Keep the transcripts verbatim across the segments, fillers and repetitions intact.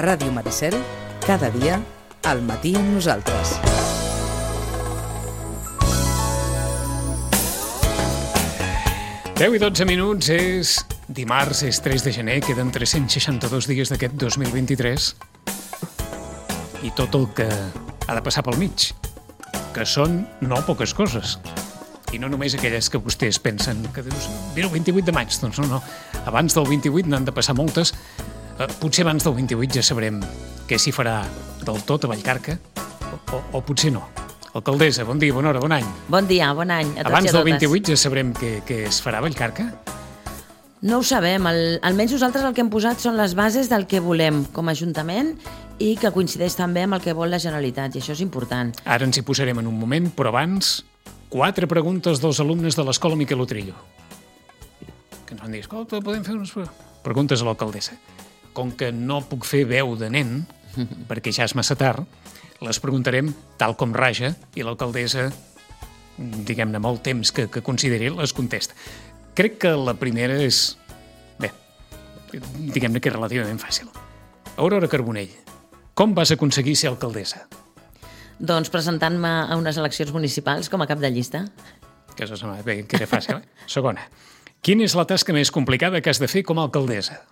Ràdio Maricel, cada dia, al matí amb nosaltres. deu i dotze minuts, és dimarts, és tres de gener, queden tres-cents seixanta-dos dies d'aquest dos mil vint-i-tres i tot el que ha de passar pel mig, que són no poques coses. I no només aquelles que vostès pensen que dius, mira, el vint-i-vuit de maig, doncs no, no. Abans del vint-i-vuit n'han de passar moltes. Eh, potser abans del vint-i-vuit ja sabrem què s'hi farà del tot a Vallcarca, o, o, o potser no. Alcaldessa, bon dia, bona hora, bon any. Bon dia, bon any a tots Abans i a totes. del vint-i-vuit ja sabrem què, què es farà a Vallcarca? No ho sabem, el, almenys nosaltres el que hem posat són les bases del que volem com a Ajuntament i que coincideix també amb el que vol la Generalitat, i això és important. Ara ens hi posarem en un moment, però abans, quatre preguntes dels alumnes de l'Escola Miquel Utrillo. Que ens van dir, escolta, podem fer unes preguntes a l'alcaldessa. Com que no puc fer veu de nen, perquè ja és massa tard, les preguntarem tal com raja i l'alcaldessa, diguem-ne, amb el temps que, que consideri, les contesta. Crec que la primera és, bé, diguem-ne que és relativament fàcil. Aurora Carbonell, com vas aconseguir ser alcaldessa? Doncs presentant-me a unes eleccions municipals com a cap de llista. Que això sembla bé, que era fàcil, eh? Segona, quina és la tasca més complicada que has de fer com a alcaldessa?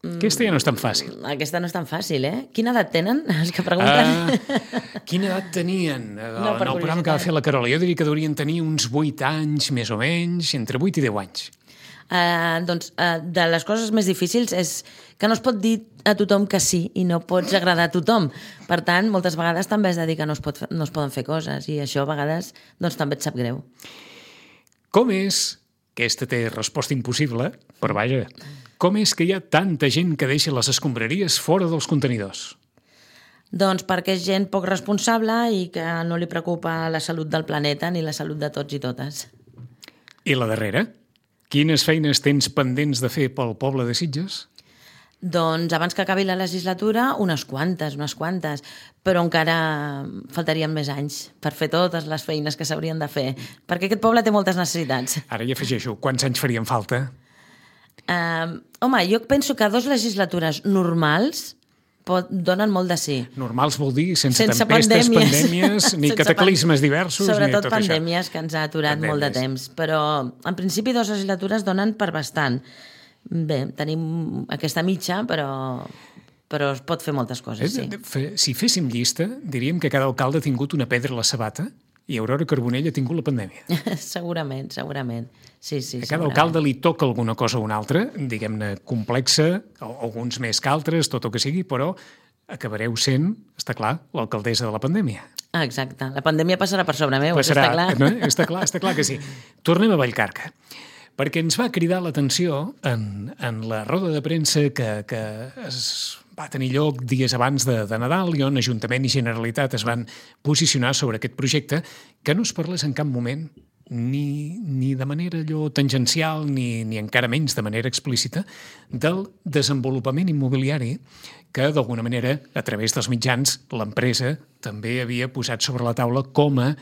Aquesta ja no és tan fàcil. Aquesta no és tan fàcil, eh? Quina edat tenen els que pregunten? Ah, quina edat tenien? No, En el programa que va fer la Carola, jo diria que deurien tenir uns vuit anys, més o menys, entre vuit i deu anys. Uh, doncs uh, de les coses més difícils és que no es pot dir a tothom que sí i no pots agradar a tothom. Per tant, moltes vegades també has de dir que no es, pot, no es poden fer coses i això a vegades doncs, també et sap greu. Com és, aquesta té resposta impossible, però vaja, com és que hi ha tanta gent que deixa les escombraries fora dels contenidors? Doncs perquè és gent poc responsable i que no li preocupa la salut del planeta ni la salut de tots i totes. I la darrera? Quines feines tens pendents de fer pel poble de Sitges? Doncs abans que acabi la legislatura, unes quantes, unes quantes, però encara faltarien més anys per fer totes les feines que s'haurien de fer, perquè aquest poble té moltes necessitats. Ara hi afegeixo, quants anys farien falta? Uh, home, jo penso que dos legislatures normals pot, donen molt de sí. Normals vol dir sense, sense tempestes, pandèmies, pandèmies ni sense cataclismes pan... diversos, sobretot ni tot pandèmies això. Que ens ha aturat pandèmies. Molt de temps, però en principi dues legislatures donen per bastant. Bé, tenim aquesta mitja, però, però es pot fer moltes coses, sí. Si féssim llista, diríem que cada alcalde ha tingut una pedra a la sabata i Aurora Carbonell ha tingut la pandèmia. Segurament, segurament. Sí, sí, a cada alcalde li toca alguna cosa o una altra, diguem-ne complexa, alguns més que altres, tot el que sigui, però acabareu sent, està clar, l'alcaldessa de la pandèmia. Ah, exacte. La pandèmia passarà per sobre meu, passarà, està clar. No? Està clar, està clar que sí. Tornem a Vallcarca, perquè ens va cridar l'atenció en, en la roda de premsa que, que es va tenir lloc dies abans de, de Nadal i on Ajuntament i Generalitat es van posicionar sobre aquest projecte, que no es parlés en cap moment ni, ni de manera allò tangencial ni, ni encara menys de manera explícita del desenvolupament immobiliari que d'alguna manera a través dels mitjans l'empresa també havia posat sobre la taula com a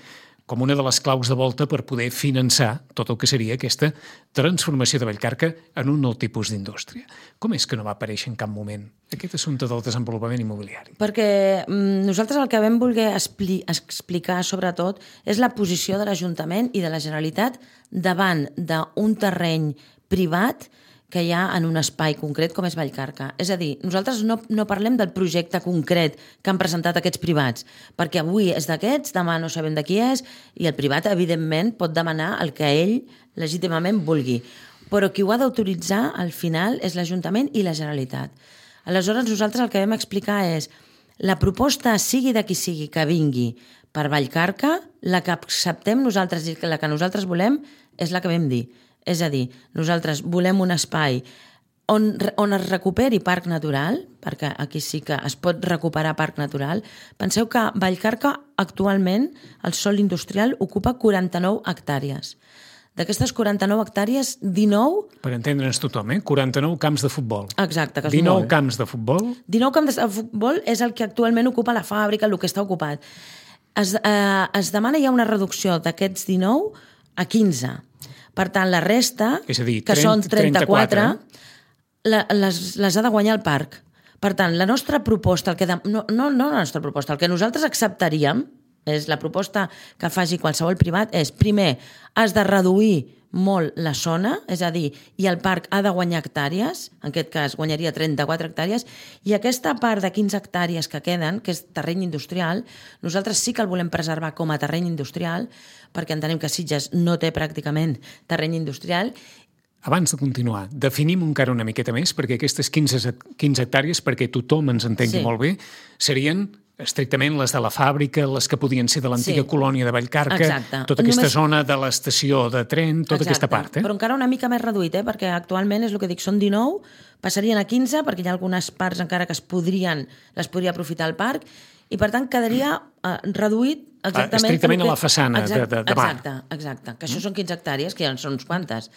com una de les claus de volta per poder finançar tot el que seria aquesta transformació de Vallcarca en un nou tipus d'indústria. Com és que no va aparèixer en cap moment aquest assumpte del desenvolupament immobiliari? Perquè mm, nosaltres el que vam voler expli- explicar sobretot és la posició de l'Ajuntament i de la Generalitat davant d'un terreny privat que hi ha en un espai concret com és Vallcarca. És a dir, nosaltres no, no parlem del projecte concret que han presentat aquests privats, perquè avui és d'aquests, demà no sabem de qui és, i el privat, evidentment, pot demanar el que ell legítimament vulgui. Però qui ho ha d'autoritzar, al final, és l'Ajuntament i la Generalitat. Aleshores, nosaltres el que vam explicar és la proposta, sigui de qui sigui, que vingui per Vallcarca, la que acceptem nosaltres i la que nosaltres volem és la que vam dir. És a dir, nosaltres volem un espai on, on es recuperi parc natural, perquè aquí sí que es pot recuperar parc natural. Penseu que Vallcarca actualment el sòl industrial ocupa quaranta-nou hectàrees. D'aquestes quaranta-nou hectàrees, dinou... Per entendre'ns tothom, eh? quaranta-nou camps de futbol. Exacte, que és dinou molt. camps de futbol. dinou camps de futbol és el que actualment ocupa la fàbrica, el que està ocupat. Es, eh, es demana ja una reducció d'aquests dinou a quinze. Per tant, la resta, és a dir, que trenta, són trenta-quatre, trenta-quatre. La, les, les ha de guanyar el parc. Per tant, la nostra proposta, el que de... no, no, no la nostra proposta, el que nosaltres acceptaríem, és la proposta que faci qualsevol privat, és, primer, has de reduir molt la zona, és a dir, i el parc ha de guanyar hectàrees, en aquest cas guanyaria trenta-quatre hectàrees, i aquesta part de quinze hectàrees que queden, que és terreny industrial, nosaltres sí que el volem preservar com a terreny industrial, perquè entenem que Sitges no té pràcticament terreny industrial. Abans de continuar, definim encara una miqueta més, perquè aquestes quinze hectàrees, perquè tothom ens entengui sí. molt bé, serien estrictament les de la fàbrica, les que podien ser de l'antiga sí. colònia de Vallcarca, Exacte. tota aquesta Només... zona de l'estació de tren, tota Exacte. aquesta part. Eh? Però encara una mica més reduït, eh? perquè actualment és el que dic, són dinou, passarien a quinze, perquè hi ha algunes parts encara que es podrien, les podria aprofitar el parc, i per tant quedaria eh, reduït exactament... Estrictament que... a la façana exacte, de, de, de mar. Exacte, exacte, que això mm. són quinze hectàrees, que ja són uns quantes.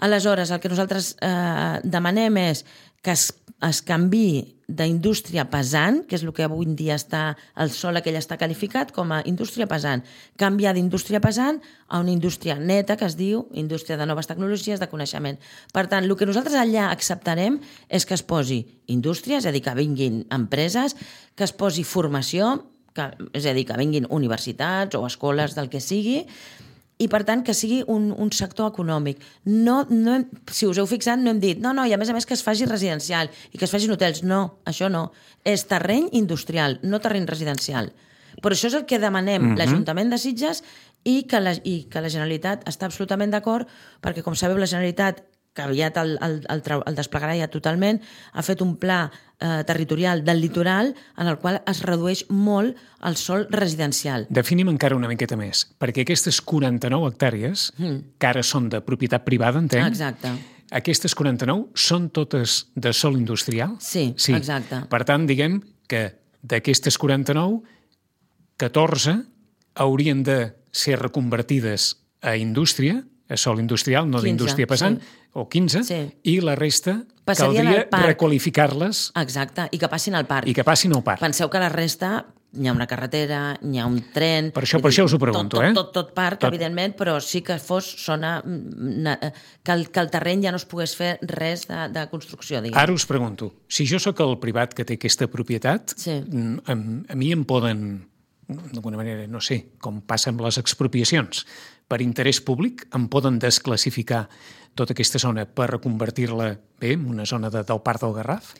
Aleshores, el que nosaltres eh, demanem és que es, es canviï d'indústria pesant, que és el que avui en dia està, el sòl aquell està qualificat com a indústria pesant, canviar d'indústria pesant a una indústria neta, que es diu indústria de noves tecnologies de coneixement. Per tant, el que nosaltres allà acceptarem és que es posi indústria, és a dir, que vinguin empreses, que es posi formació, que, és a dir, que vinguin universitats o escoles del que sigui, i, per tant, que sigui un, un sector econòmic. No, no, si us heu fixat, no hem dit, no, no, i a més a més que es faci residencial i que es facin hotels. No, això no. És terreny industrial, no terreny residencial. Però això és el que demanem mm-hmm. l'Ajuntament de Sitges i que, la, i que la Generalitat està absolutament d'acord, perquè, com sabeu, la Generalitat, que aviat el, el, el, el desplegarà ja totalment, ha fet un pla eh, territorial del litoral en el qual es redueix molt el sòl residencial. Definim encara una miqueta més, perquè aquestes quaranta-nou hectàrees, mm. que ara són de propietat privada, entenc? Exacte. Aquestes quaranta-nou són totes de sòl industrial? Sí, sí, exacte. Per tant, diguem que d'aquestes quaranta-nou, catorze haurien de ser reconvertides a indústria, a sòl industrial, no d'indústria pesant, sí. o quinze, sí. i la resta Passarien caldria requalificar-les. Exacte, i que passin al parc. I que passin al parc. Penseu que la resta, hi ha una carretera, hi ha un tren... Per això, per això us ho pregunto, tot, eh? Tot, tot, tot parc, tot. Evidentment, però sí que fos zona... Que el, que el terreny ja no es pogués fer res de, de construcció, diguem. Ara us pregunto, si jo sóc el privat que té aquesta propietat, sí. a, a mi em poden... d'alguna manera, no sé, com passa amb les expropiacions, per interès públic em poden desclassificar tota aquesta zona per reconvertir-la bé en una zona de, del Parc del Garraf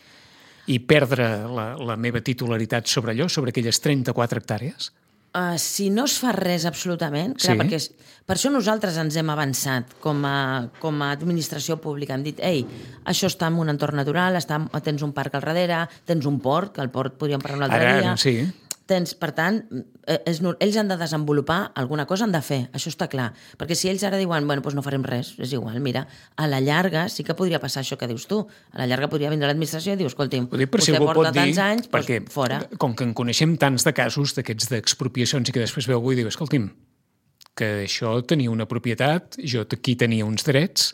i perdre la, la meva titularitat sobre allò, sobre aquelles trenta-quatre hectàrees? Uh, si no es fa res absolutament, clar, sí. perquè és, per això nosaltres ens hem avançat com a, com a administració pública. Hem dit, ei, això està en un entorn natural, està, tens un parc al darrere, tens un port, que el port podríem parlar un altre Ara, dia. Sí. Tens, per tant, és, ells han de desenvolupar alguna cosa, han de fer, això està clar. Perquè si ells ara diuen, bueno, doncs no farem res, és igual, mira, a la llarga sí que podria passar això que dius tu. A la llarga podria vindre l'administració i diu, escolti'm, vostè porta tants anys, perquè, doncs fora. Com que en coneixem tants de casos d'aquests d'expropiacions i que després veu avui i diu, escolti'm, que això tenia una propietat, jo aquí tenia uns drets,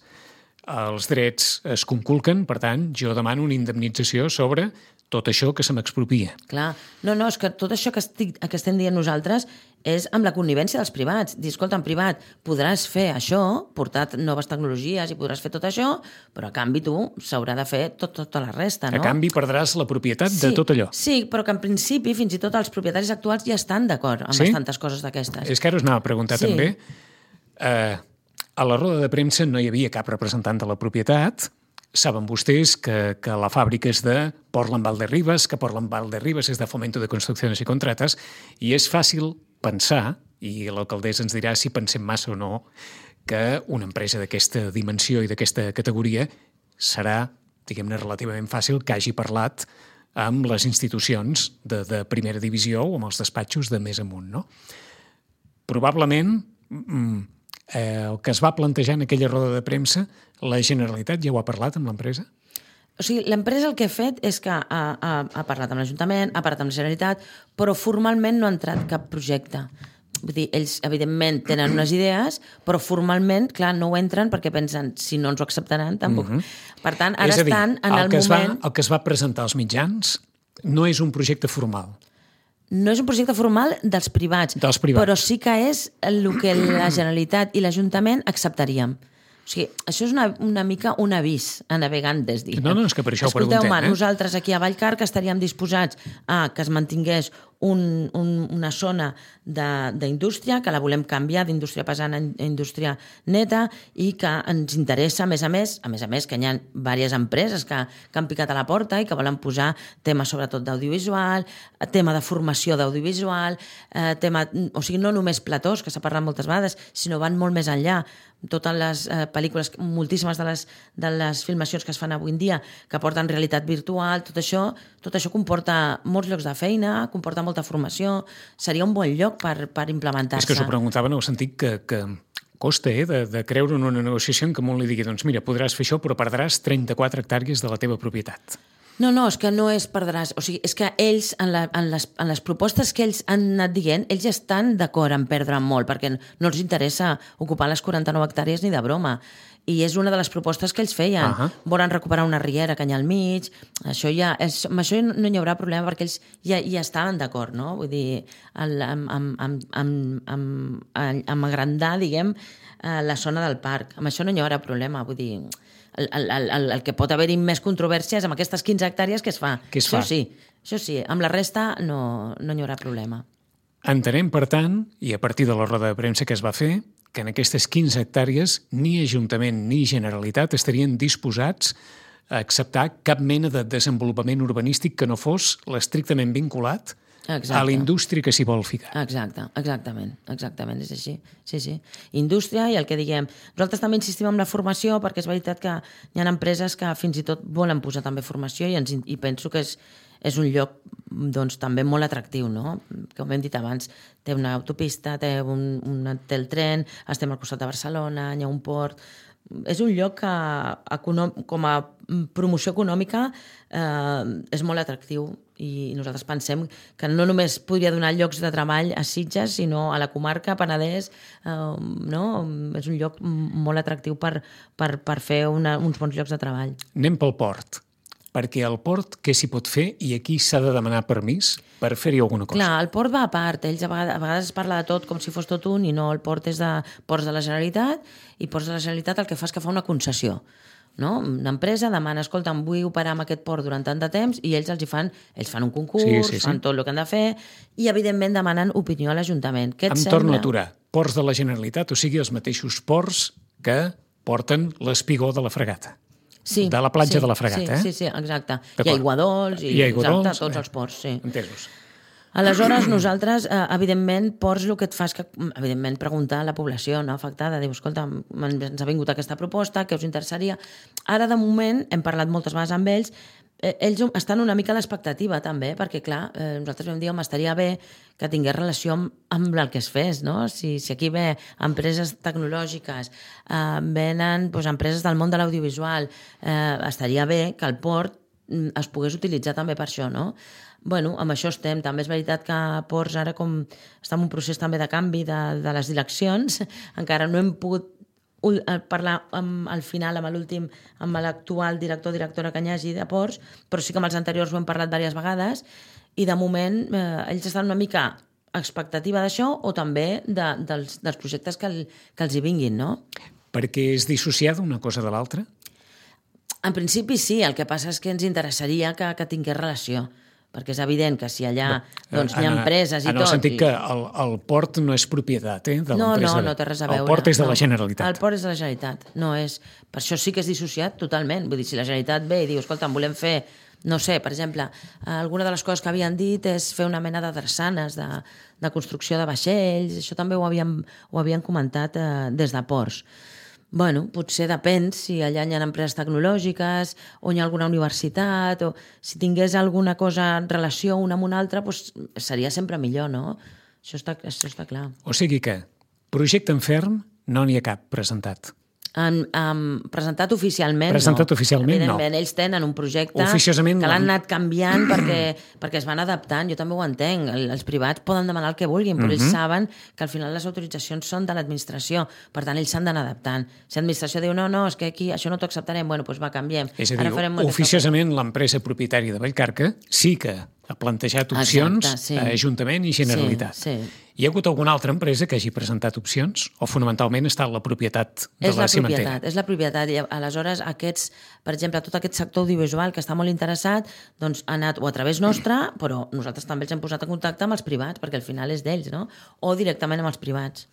els drets es conculquen, per tant, jo demano una indemnització sobre tot això que se m'expropia. Clar. No, no, és que tot això que, estic, que estem dient nosaltres és amb la connivència dels privats. Dir, escolta, en privat podràs fer això, portar noves tecnologies i podràs fer tot això, però a canvi tu s'haurà de fer tot, tota la resta, no? A canvi perdràs la propietat sí, de tot allò. Sí, però que en principi fins i tot els propietaris actuals ja estan d'acord amb sí? bastantes coses d'aquestes. És que ara us anava a preguntar sí. també, eh, a la roda de premsa no hi havia cap representant de la propietat. Saben vostès que, que la fàbrica és de Portland Valderribes, que Portland Valderribes és de Fomento de Construcciones y Contratas, i és fàcil pensar, i l'alcaldessa ens dirà si pensem massa o no, que una empresa d'aquesta dimensió i d'aquesta categoria serà, diguem-ne, relativament fàcil que hagi parlat amb les institucions de, de primera divisió o amb els despatxos de més amunt, no? Probablement... Mm, Eh, el que es va plantejar en aquella roda de premsa, la Generalitat ja ho ha parlat amb l'empresa? O sigui, l'empresa el que ha fet és que ha, ha, ha parlat amb l'Ajuntament, ha parlat amb la Generalitat, però formalment no ha entrat cap projecte. Vull dir, ells, evidentment, tenen unes idees, però formalment, clar, no ho entren perquè pensen, si no ens ho acceptaran, tampoc. Mm-hmm. Per tant, ara és a dir, estan en el, el que moment... Va, el que es va presentar als mitjans no és un projecte formal. No és un projecte formal dels privats, dels privats, però sí que és el que la Generalitat i l'Ajuntament acceptaríem. O sigui, això és una, una mica un avís a navegantes, diguem. No, no, és que per això ho Escolteu, preguntem. Eh? Nosaltres aquí a Vallcarca estaríem disposats a que es mantingués un, un, una zona d'indústria, que la volem canviar d'indústria pesant a indústria neta i que ens interessa, a més a més, a més a més que hi ha diverses empreses que, que han picat a la porta i que volen posar temes sobretot d'audiovisual, tema de formació d'audiovisual, eh, tema, o sigui, no només platós, que s'ha parlat moltes vegades, sinó van molt més enllà. Totes les eh, pel·lícules, moltíssimes de les, de les filmacions que es fan avui en dia que porten realitat virtual, tot això, tot això comporta molts llocs de feina, comporta molta formació, seria un bon lloc per, per implementar-se. És que s'ho preguntava en el sentit que, que costa eh, de, de creure en una negociació en què un li digui, doncs mira, podràs fer això però perdràs trenta-quatre hectàrees de la teva propietat. No, no, és que no és perdràs. O sigui, és que ells, en, la, en, les, en les propostes que ells han anat dient, ells ja estan d'acord en perdre molt, perquè no els interessa ocupar les quaranta-nou hectàrees ni de broma. I és una de les propostes que ells feien. Uh -huh. Volen recuperar una riera que hi ha al mig. Això ja és, amb això no hi haurà problema perquè ells ja, ja estaven d'acord, no? Vull dir, el, amb, amb, amb, amb, amb, amb agrandar, diguem, la zona del parc. Amb això no hi haurà problema. Vull dir, el, el, el, el que pot haver-hi més controvèrsia és amb aquestes quinze hectàrees que es fa. Que es això fa. sí, això sí. Amb la resta no, no hi haurà problema. Entenem, per tant, i a partir de la roda de premsa que es va fer, que en aquestes quinze hectàrees ni Ajuntament ni Generalitat estarien disposats a acceptar cap mena de desenvolupament urbanístic que no fos l'estrictament vinculat Exacte. a la indústria que s'hi vol ficar. Exacte, exactament, exactament, és així. Sí, sí. Indústria i el que diguem. Nosaltres també insistim en la formació perquè és veritat que hi ha empreses que fins i tot volen posar també formació i, ens, i penso que és, és un lloc doncs, també molt atractiu, no? Com hem dit abans, té una autopista, té, un, un, té el tren, estem al costat de Barcelona, hi ha un port. És un lloc que econòm, com a promoció econòmica eh, és molt atractiu i nosaltres pensem que no només podria donar llocs de treball a Sitges, sinó a la comarca, Penedès, eh, no? És un lloc molt atractiu per, per, per fer una, uns bons llocs de treball. Anem pel port. Perquè al port què s'hi pot fer i aquí s'ha de demanar permís per fer-hi alguna cosa? Clar, el port va a part. Ells a vegades, a vegades es parla de tot com si fos tot un i no, el port és de ports de la Generalitat i ports de la Generalitat el que fa és que fa una concessió. No? Una empresa demana, escolta, em vull operar amb aquest port durant tant de temps i ells els hi fan, ells fan un concurs, sí, sí, sí. fan tot el que han de fer i evidentment demanen opinió a l'Ajuntament. Què et em sembla? torno a aturar. Ports de la Generalitat, o sigui, els mateixos ports que porten l'espigó de la fregata. Sí, de la platja sí, de la fregata, sí, eh? Sí, sí, exacte. Hi ha aiguadols i, I aiguadols, exacte, tots eh. els ports, sí. Entesos. Aleshores, nosaltres, eh, evidentment, ports el que et fa és que, evidentment, preguntar a la població no afectada, diu, escolta, ens ha vingut aquesta proposta, què us interessaria? Ara, de moment, hem parlat moltes vegades amb ells, eh, ells estan una mica a l'expectativa, també, perquè, clar, eh, nosaltres vam dir, home, estaria bé que tingués relació amb, amb el que es fes, no? Si, si aquí ve empreses tecnològiques, eh, venen doncs, empreses del món de l'audiovisual, eh, estaria bé que el port es pogués utilitzar també per això, no? Bueno, amb això estem. També és veritat que Ports ara com està en un procés també de canvi de, de les direccions, encara no hem pogut parlar amb, al final amb l'últim, amb l'actual director o directora que hi hagi de Ports, però sí que amb els anteriors ho hem parlat diverses vegades i de moment eh, ells estan una mica a expectativa d'això o també de, dels, dels projectes que, el, que els hi vinguin, no? Perquè és dissociada una cosa de l'altra? En principi sí, el que passa és que ens interessaria que, que tingués relació, perquè és evident que si allà doncs, hi ha empreses i tot... En el sentit i... que el, el port no és propietat eh, de no, l'empresa. No, no, no té res a veure. El port és de no. la Generalitat. El port és de la Generalitat. No és... Per això sí que és dissociat totalment. Vull dir, si la Generalitat ve i diu, escolta, volem fer, no sé, per exemple, alguna de les coses que havien dit és fer una mena de drassanes, de, de construcció de vaixells, això també ho havien, ho havien comentat eh, des de Ports. Bueno, potser depèn si allà hi ha empreses tecnològiques o hi ha alguna universitat o si tingués alguna cosa en relació una amb una altra, doncs seria sempre millor, no? Això està, això està clar. O sigui que projecte en ferm no n'hi ha cap presentat. En, en, presentat oficialment, presentat no. oficialment, Evidentment, no. Ells tenen un projecte Oficiosament, que l'han anat canviant perquè, perquè es van adaptant. Jo també ho entenc. Els privats poden demanar el que vulguin, però uh-huh. ells saben que al final les autoritzacions són de l'administració. Per tant, ells s'han d'adaptar. Si l'administració diu, no, no, és que aquí això no t'ho acceptarem, bueno, doncs va, canviem. És a dir, oficiosament l'empresa propietària de Vallcarca sí que ha plantejat opcions Exacte, sí. a Ajuntament i Generalitat. Sí, sí. Hi ha hagut alguna altra empresa que hagi presentat opcions o fonamentalment està la propietat de És la la cimentera? propietat, és la propietat. I aleshores, aquests, per exemple, tot aquest sector audiovisual que està molt interessat, doncs ha anat o a través nostra, però nosaltres també els hem posat en contacte amb els privats, perquè al final és d'ells, no? O directament amb els privats.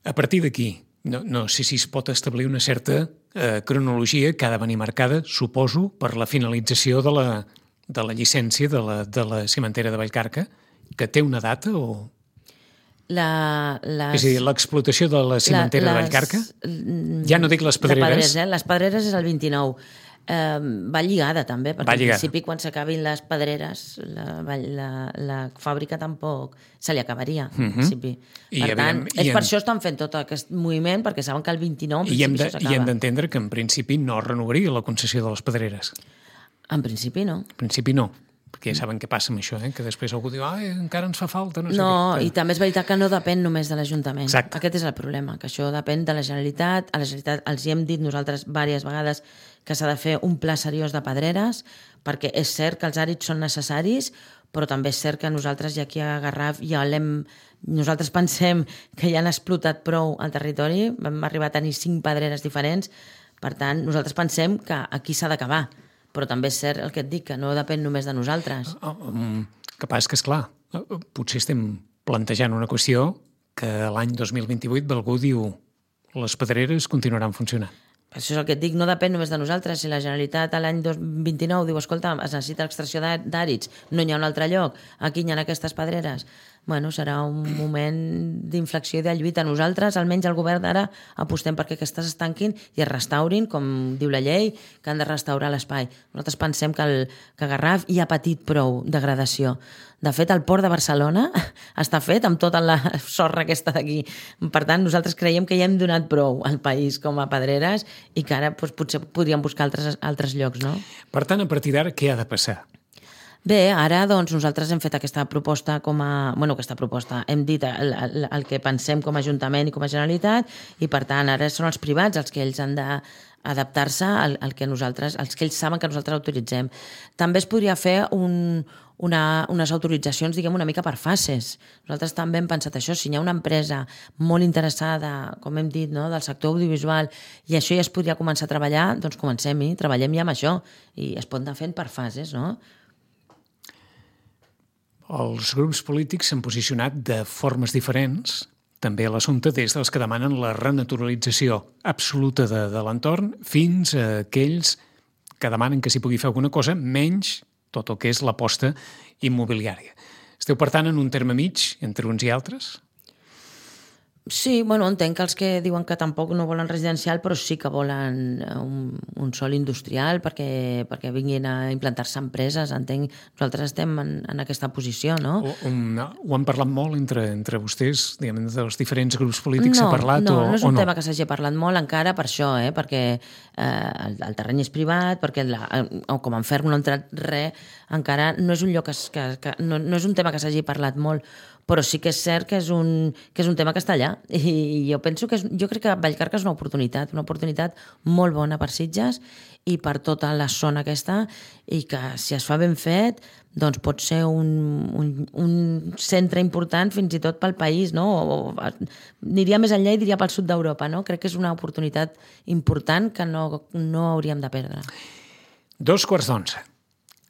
A partir d'aquí, no, no sé si es pot establir una certa eh, cronologia que ha de venir marcada, suposo, per la finalització de la, de la llicència de la, de la cimentera de Vallcarca, que té una data o... La, les, és a dir, l'explotació de la cimentera la, de Vallcarca, ja no dic les pedreres. Pedreres, eh? Les pedreres és el vint-i-nou. Eh, va lligada també, perquè Va al lligada. principi quan s'acabin les pedreres la, la, la fàbrica tampoc se li acabaria al Mhm. principi. I Per tant, aviam, i és en- per això estan fent tot aquest moviment, perquè saben que el vint-i-nou en I hem principi de- això i hem s'acaba. d'entendre que en principi no renovaria la concessió de les pedreres. En principi no. En principi no, perquè ja saben què passa amb això, eh? Que després algú diu, ah, encara ens fa falta, no sé No, què. i també és veritat que no depèn només de l'Ajuntament. Exacte. Aquest és el problema, que això depèn de la Generalitat. A la Generalitat els hi hem dit nosaltres diverses vegades que s'ha de fer un pla seriós de pedreres, perquè és cert que els àrids són necessaris, però també és cert que nosaltres ja aquí a Garraf ja l'hem... Nosaltres pensem que ja han explotat prou al territori, vam arribar a tenir cinc pedreres diferents, per tant, nosaltres pensem que aquí s'ha d'acabar, però també és cert el que et dic, que no depèn només de nosaltres. Oh, um, que passa que, esclar, eh, potser estem plantejant una qüestió que l'any dos mil vint-i-vuit algú diu les pedreres continuaran funcionant. Això és el que et dic, no depèn només de nosaltres. Si la Generalitat a l'any dos mil vint-i-nou diu, escolta, es necessita l'extracció d'à- d'àrids, no hi ha un altre lloc, aquí hi ha aquestes pedreres, bueno, serà un moment d'inflexió i de lluita. Nosaltres, almenys el govern d'ara, apostem perquè aquestes es tanquin i es restaurin, com diu la llei, que han de restaurar l'espai. Nosaltres pensem que, el, que Garraf hi ha patit prou degradació. De fet, el port de Barcelona està fet amb tota la sorra aquesta d'aquí. Per tant, nosaltres creiem que ja hem donat prou al país com a pedreres i que ara doncs, potser podríem buscar altres, altres llocs, no? Per tant, a partir d'ara, què ha de passar? Bé, ara doncs, nosaltres hem fet aquesta proposta com a... Bueno, aquesta proposta, hem dit el, el, el que pensem com a Ajuntament i com a Generalitat i, per tant, ara són els privats els que ells han d'adaptar-se al, al que nosaltres, els que ells saben que nosaltres autoritzem. També es podria fer un, una, unes autoritzacions, diguem, una mica per fases. Nosaltres també hem pensat això. Si hi ha una empresa molt interessada, com hem dit, no, del sector audiovisual, i això ja es podria començar a treballar, doncs comencem-hi, treballem ja amb això. I es pot anar fent per fases, no? Els grups polítics s'han posicionat de formes diferents, també a l'assumpte, des dels que demanen la renaturalització absoluta de, de l'entorn fins a aquells que demanen que s'hi pugui fer alguna cosa, menys tot el que és l'aposta immobiliària. Esteu, per tant, en un terme mig entre uns i altres? Sí, bueno, entenc que els que diuen que tampoc no volen residencial, però sí que volen un, un sòl industrial perquè, perquè vinguin a implantar-se empreses. Entenc, nosaltres estem en, en aquesta posició, no? O, um, ho han parlat molt entre, entre vostès, diguem, dels diferents grups polítics, no, s'ha parlat no, o, no és un o no? tema que s'hagi parlat molt encara per això, eh? Perquè eh, el, el terreny és privat, perquè la, o com en Ferm no ha entrat res, encara no és un lloc que, es- que, que no, no és un tema que s'hagi parlat molt, però sí que és cert que és un, que és un tema que està allà. I jo penso que és, jo crec que Vallcarca és una oportunitat, una oportunitat molt bona per Sitges i per tota la zona aquesta, i que si es fa ben fet, doncs pot ser un, un, un centre important fins i tot pel país, no? O, o, aniria més enllà i diria pel sud d'Europa, no? Crec que és una oportunitat important que no, no hauríem de perdre. Dos quarts d'onze.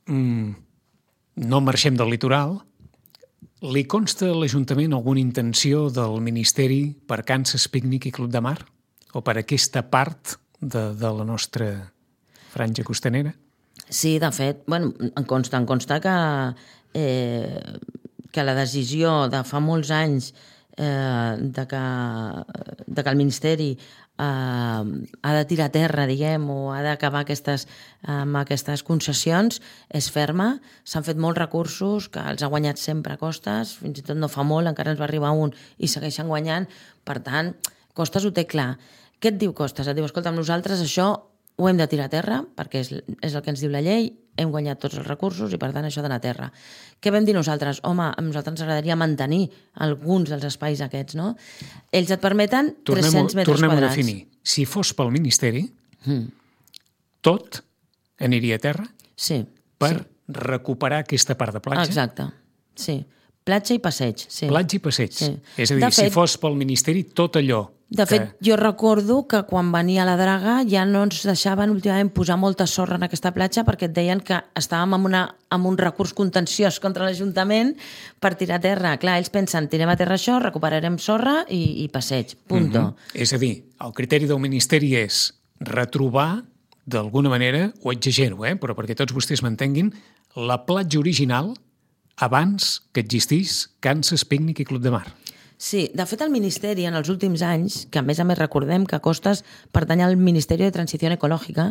Mm, no marxem del litoral. Li consta a l'Ajuntament alguna intenció del Ministeri per Kansas Pícnic i Club de Mar? O per aquesta part de, de la nostra franja costanera? Sí, de fet, bueno, em consta, em consta que, eh, que la decisió de fa molts anys eh, de, que, de que el Ministeri eh, ha de tirar a terra, diguem, o ha d'acabar aquestes, amb aquestes concessions, és ferma. S'han fet molts recursos, que els ha guanyat sempre a Costes, fins i tot no fa molt, encara ens va arribar un i segueixen guanyant. Per tant, Costes ho té clar. Què et diu Costes? Et diu, escolta, amb nosaltres això ho hem de tirar a terra, perquè és, és el que ens diu la llei, hem guanyat tots els recursos i, per tant, això ha d'anar a terra. Què vam dir nosaltres? Home, a nosaltres ens agradaria mantenir alguns dels espais aquests, no? Ells et permeten tres-cents metres tornem quadrats. a definir. Si fos pel Ministeri, Mm. tot aniria a terra Sí. per sí. recuperar aquesta part de platja. Exacte, sí. Platja i passeig, sí. Platja i passeig. Sí. És a dir, De si fet- fos pel Ministeri, tot allò De fet, que... jo recordo que quan venia la draga ja no ens deixaven últimament posar molta sorra en aquesta platja perquè et deien que estàvem amb, una, amb un recurs contenciós contra l'Ajuntament per tirar a terra. Clar, ells pensen, tirem a terra això, recuperarem sorra i, i passeig, punto. Mm -hmm. És a dir, el criteri del Ministeri és retrobar, d'alguna manera, ho exagero, eh? però perquè tots vostès m'entenguin, la platja original abans que existís Kansas Picnic i Club de Mar. Sí, de fet el Ministeri en els últims anys, que a més a més recordem que Costes pertany al Ministeri de Transició Ecològica,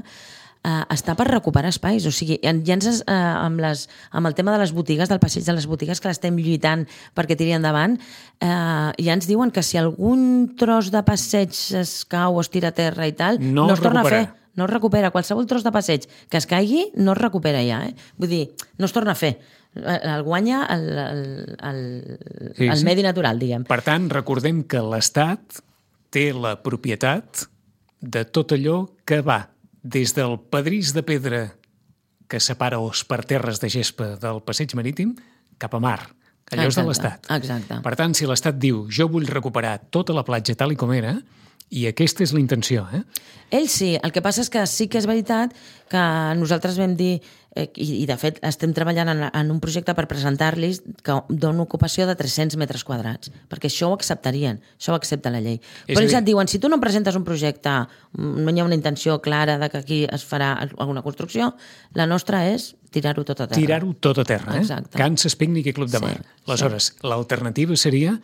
eh, està per recuperar espais. O sigui, ja ens, eh, amb, les, amb el tema de les botigues, del passeig de les botigues, que l'estem lluitant perquè tiri endavant, eh, ja ens diuen que si algun tros de passeig es cau o es tira a terra i tal, No no, es es torna recupera. a fer. No es recupera. Qualsevol tros de passeig que es caigui no es recupera ja. Eh? Vull dir, no es torna a fer. El guanya el, el, el, Sí, el sí. medi natural, diguem. Per tant, recordem que l'Estat té la propietat de tot allò que va des del pedrís de pedra que separa os per terres de gespa del passeig marítim cap a mar. Allò és de Exacte, l'Estat. exacte. Per tant, si l'Estat diu jo vull recuperar tota la platja tal i com era, i aquesta és la intenció, eh? Ell sí, el que passa és que sí que és veritat que nosaltres vam dir, eh, i, i de fet estem treballant en, en un projecte per presentar-los que dona ocupació de tres-cents metres quadrats, perquè això ho acceptarien, això ho accepta la llei. És Però a ells dir- et diuen, si tu no em presentes un projecte, no hi ha una intenció clara de que aquí es farà alguna construcció, la nostra és tirar-ho tot a terra. Tirar-ho tot a terra, eh? Exacte. Kansas Picnic i Club de Sí, Mar. Aleshores, l'alternativa seria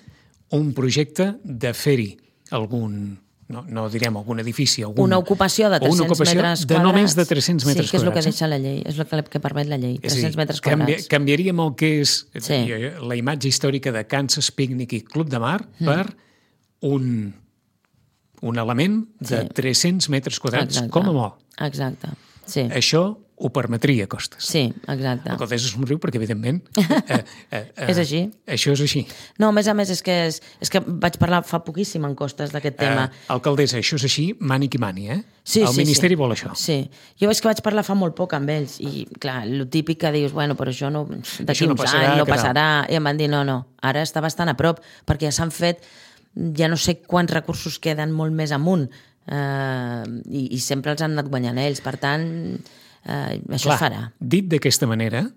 un projecte de fer-hi algun, no, no direm algun edifici, algun, Una ocupació de o una tres-cents ocupació metres de quadrats. només de tres-cents metres Sí, que és el que quadrats, eh? deixa la llei, és el que, que permet la llei, És a dir, tres-cents metres canvi- quadrats. Canviaríem el que és Sí. la imatge històrica de Kansas Picnic i Club de Mar mm. per un, un element de Sí. tres-cents metres quadrats, Exacte. com a molt. Exacte, sí. Això ho permetria Costes. Sí, exacte. El Costes es somriu perquè, evidentment, eh, eh, eh, És així. Això és així. No, a més a més, és que, és, és que vaig parlar fa poquíssim en Costes d'aquest tema. Eh, alcaldessa, això és així, mani qui mani, eh? Sí, el sí, Ministeri sí. vol això. Sí. Jo és que vaig parlar fa molt poc amb ells i, clar, el típic que dius, bueno, però això no, d'aquí Això no uns passarà, anys no que tal. passarà. I em van dir, no, no, ara està bastant a prop, perquè ja s'han fet, ja no sé quants recursos queden molt més amunt, eh, i, i sempre els han anat guanyant ells. Per tant, eh, això Clar, es farà. dit d'aquesta manera,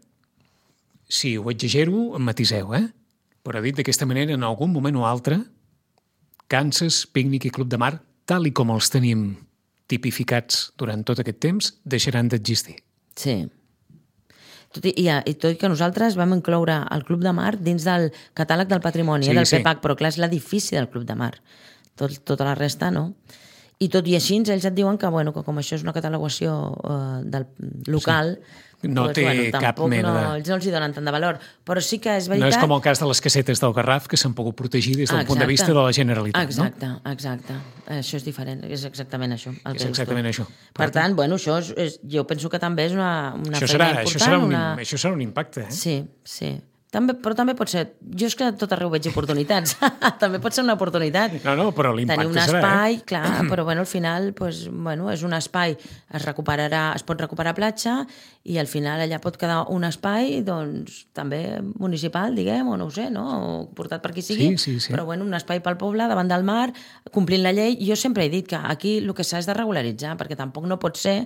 si ho exagero, em matiseu, eh? Però dit d'aquesta manera, en algun moment o altre, Kansas, Picnic i Club de Mar, tal i com els tenim tipificats durant tot aquest temps, deixaran d'existir. Sí. Tot i, i, I tot i que nosaltres vam incloure el Club de Mar dins del catàleg del patrimoni, Sí, sí, del sí. P PAC, però clar, és l'edifici del Club de Mar. Tot, tota la resta, no. I tot i així, ells et diuen que, bueno, que com això és una catalogació uh, del local... Sí. No té cap tampoc mena no, de- ells no els hi donen tant de valor. Però sí que és No veritat... és com el cas de les casetes del Garraf, que s'han pogut protegir des del Ah, punt de exacte. vista de la Generalitat, Exacte, exacte. Això és diferent, és exactament això. El És que dius tu. exactament això. Per tant, bueno, això és, és, jo penso que també és una, una Això feina serà, important. això, serà un, una... això serà un impacte, eh? Sí, sí. També, però també pot ser... Jo és que a tot arreu veig oportunitats. També pot ser una oportunitat. No, no, però l'impacte Tenir un serà, espai, eh? clar, però bueno, al final pues, bueno, és un espai, es recuperarà, es pot recuperar platja i al final allà pot quedar un espai doncs, també municipal, diguem, o no ho sé, no? O portat per qui sigui, Sí, sí, sí. però bueno, un espai pel poble, davant del mar, complint la llei. Jo sempre he dit que aquí el que s'ha és de regularitzar, perquè tampoc no pot ser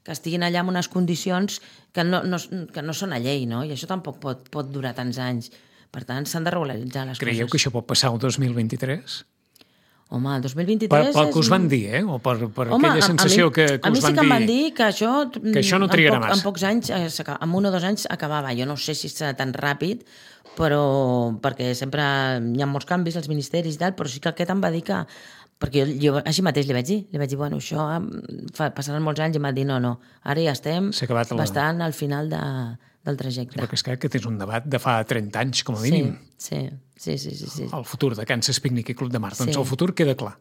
que estiguin allà en unes condicions que no, no, que no són a llei, no? I això tampoc pot, pot durar tants anys. Per tant, s'han de regularitzar les Creieu coses. que això pot passar el dos mil vint-i-tres? Home, el dos mil Per, vint-i-tres... pel que és us van un- dir, eh? O per, per Home, aquella a- sensació a mi, que, que a mi us sí van que em van dir... dir que això, que això no trigarà en, poc, massa. en pocs anys, eh, s'aca- en un o dos anys acabava. Jo no sé si serà tan ràpid, però perquè sempre hi ha molts canvis als ministeris i tal, però sí que aquest em va dir que... Perquè jo, jo així mateix li vaig dir, li vaig dir, bueno, això em fa, passaran molts anys i em va dir, no, no, ara ja estem S'ha acabat la- bastant al final de, del trajecte. Perquè és clar que és un debat de fa trenta anys, com a mínim. Sí, sí, sí, sí, sí. El futur de Kansas Picnic i Club de Mar. Doncs Sí. el futur queda clar.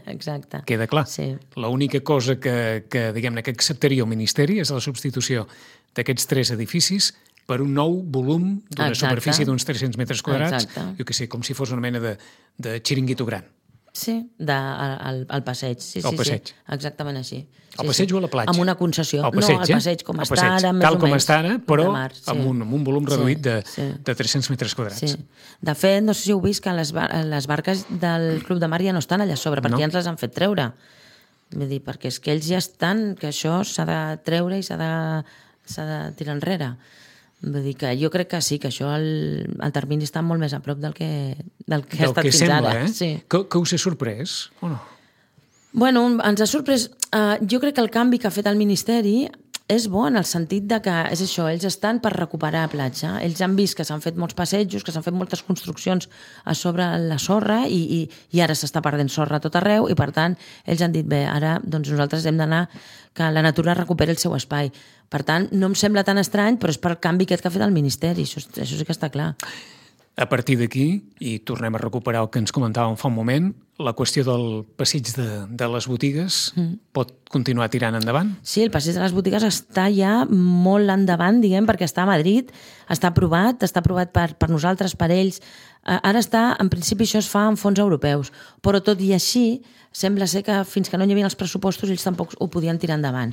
Exacte. Queda clar. Sí. L'única cosa que, que diguem-ne, que acceptaria el Ministeri és la substitució d'aquests tres edificis per un nou volum d'una Exacte. superfície d'uns tres-cents metres quadrats, Exacte. jo què sé, com si fos una mena de, de xiringuito gran. Sí, de, al, al passeig. Sí, al sí, passeig. Sí, exactament així. Sí, al passeig sí. o a la platja? Amb una concessió. Al passeig, no, al passeig, com eh? està passeig. ara, més Tal o com menys. està ara, però mar, sí. amb, un, amb un volum reduït sí, de, sí. de tres-cents metres quadrats. Sí. De fet, no sé si heu vist que les, bar les barques del Club de Mar ja no estan allà a sobre, perquè no. ja ens les han fet treure. Vull dir, perquè és que ells ja estan, que això s'ha de treure i s'ha de, s'ha de tirar enrere. Vull dir que jo crec que sí, que això el, el termini està molt més a prop del que, del que del ha estat que fins sembla, ara. Eh? Sí. Que, que us ha sorprès, o no? Bueno, ens ha sorprès... Uh, jo crec que el canvi que ha fet el Ministeri és bo en el sentit de que, és això, ells estan per recuperar platja. Ells han vist que s'han fet molts passejos, que s'han fet moltes construccions a sobre la sorra i, i, i ara s'està perdent sorra a tot arreu i, per tant, ells han dit, bé, ara doncs nosaltres hem d'anar que la natura recuperi el seu espai. Per tant, no em sembla tan estrany, però és per el canvi aquest que ha fet el Ministeri. Això, això sí que està clar. A partir d'aquí, i tornem a recuperar el que ens comentàvem fa un moment, la qüestió del passeig de, de les botigues mm. pot continuar tirant endavant? Sí, el passeig de les botigues està ja molt endavant, diguem, perquè està a Madrid, està aprovat, està aprovat per, per nosaltres, per ells. Ara està, en principi això es fa amb fons europeus, però tot i així, sembla ser que fins que no hi havia els pressupostos ells tampoc ho podien tirar endavant.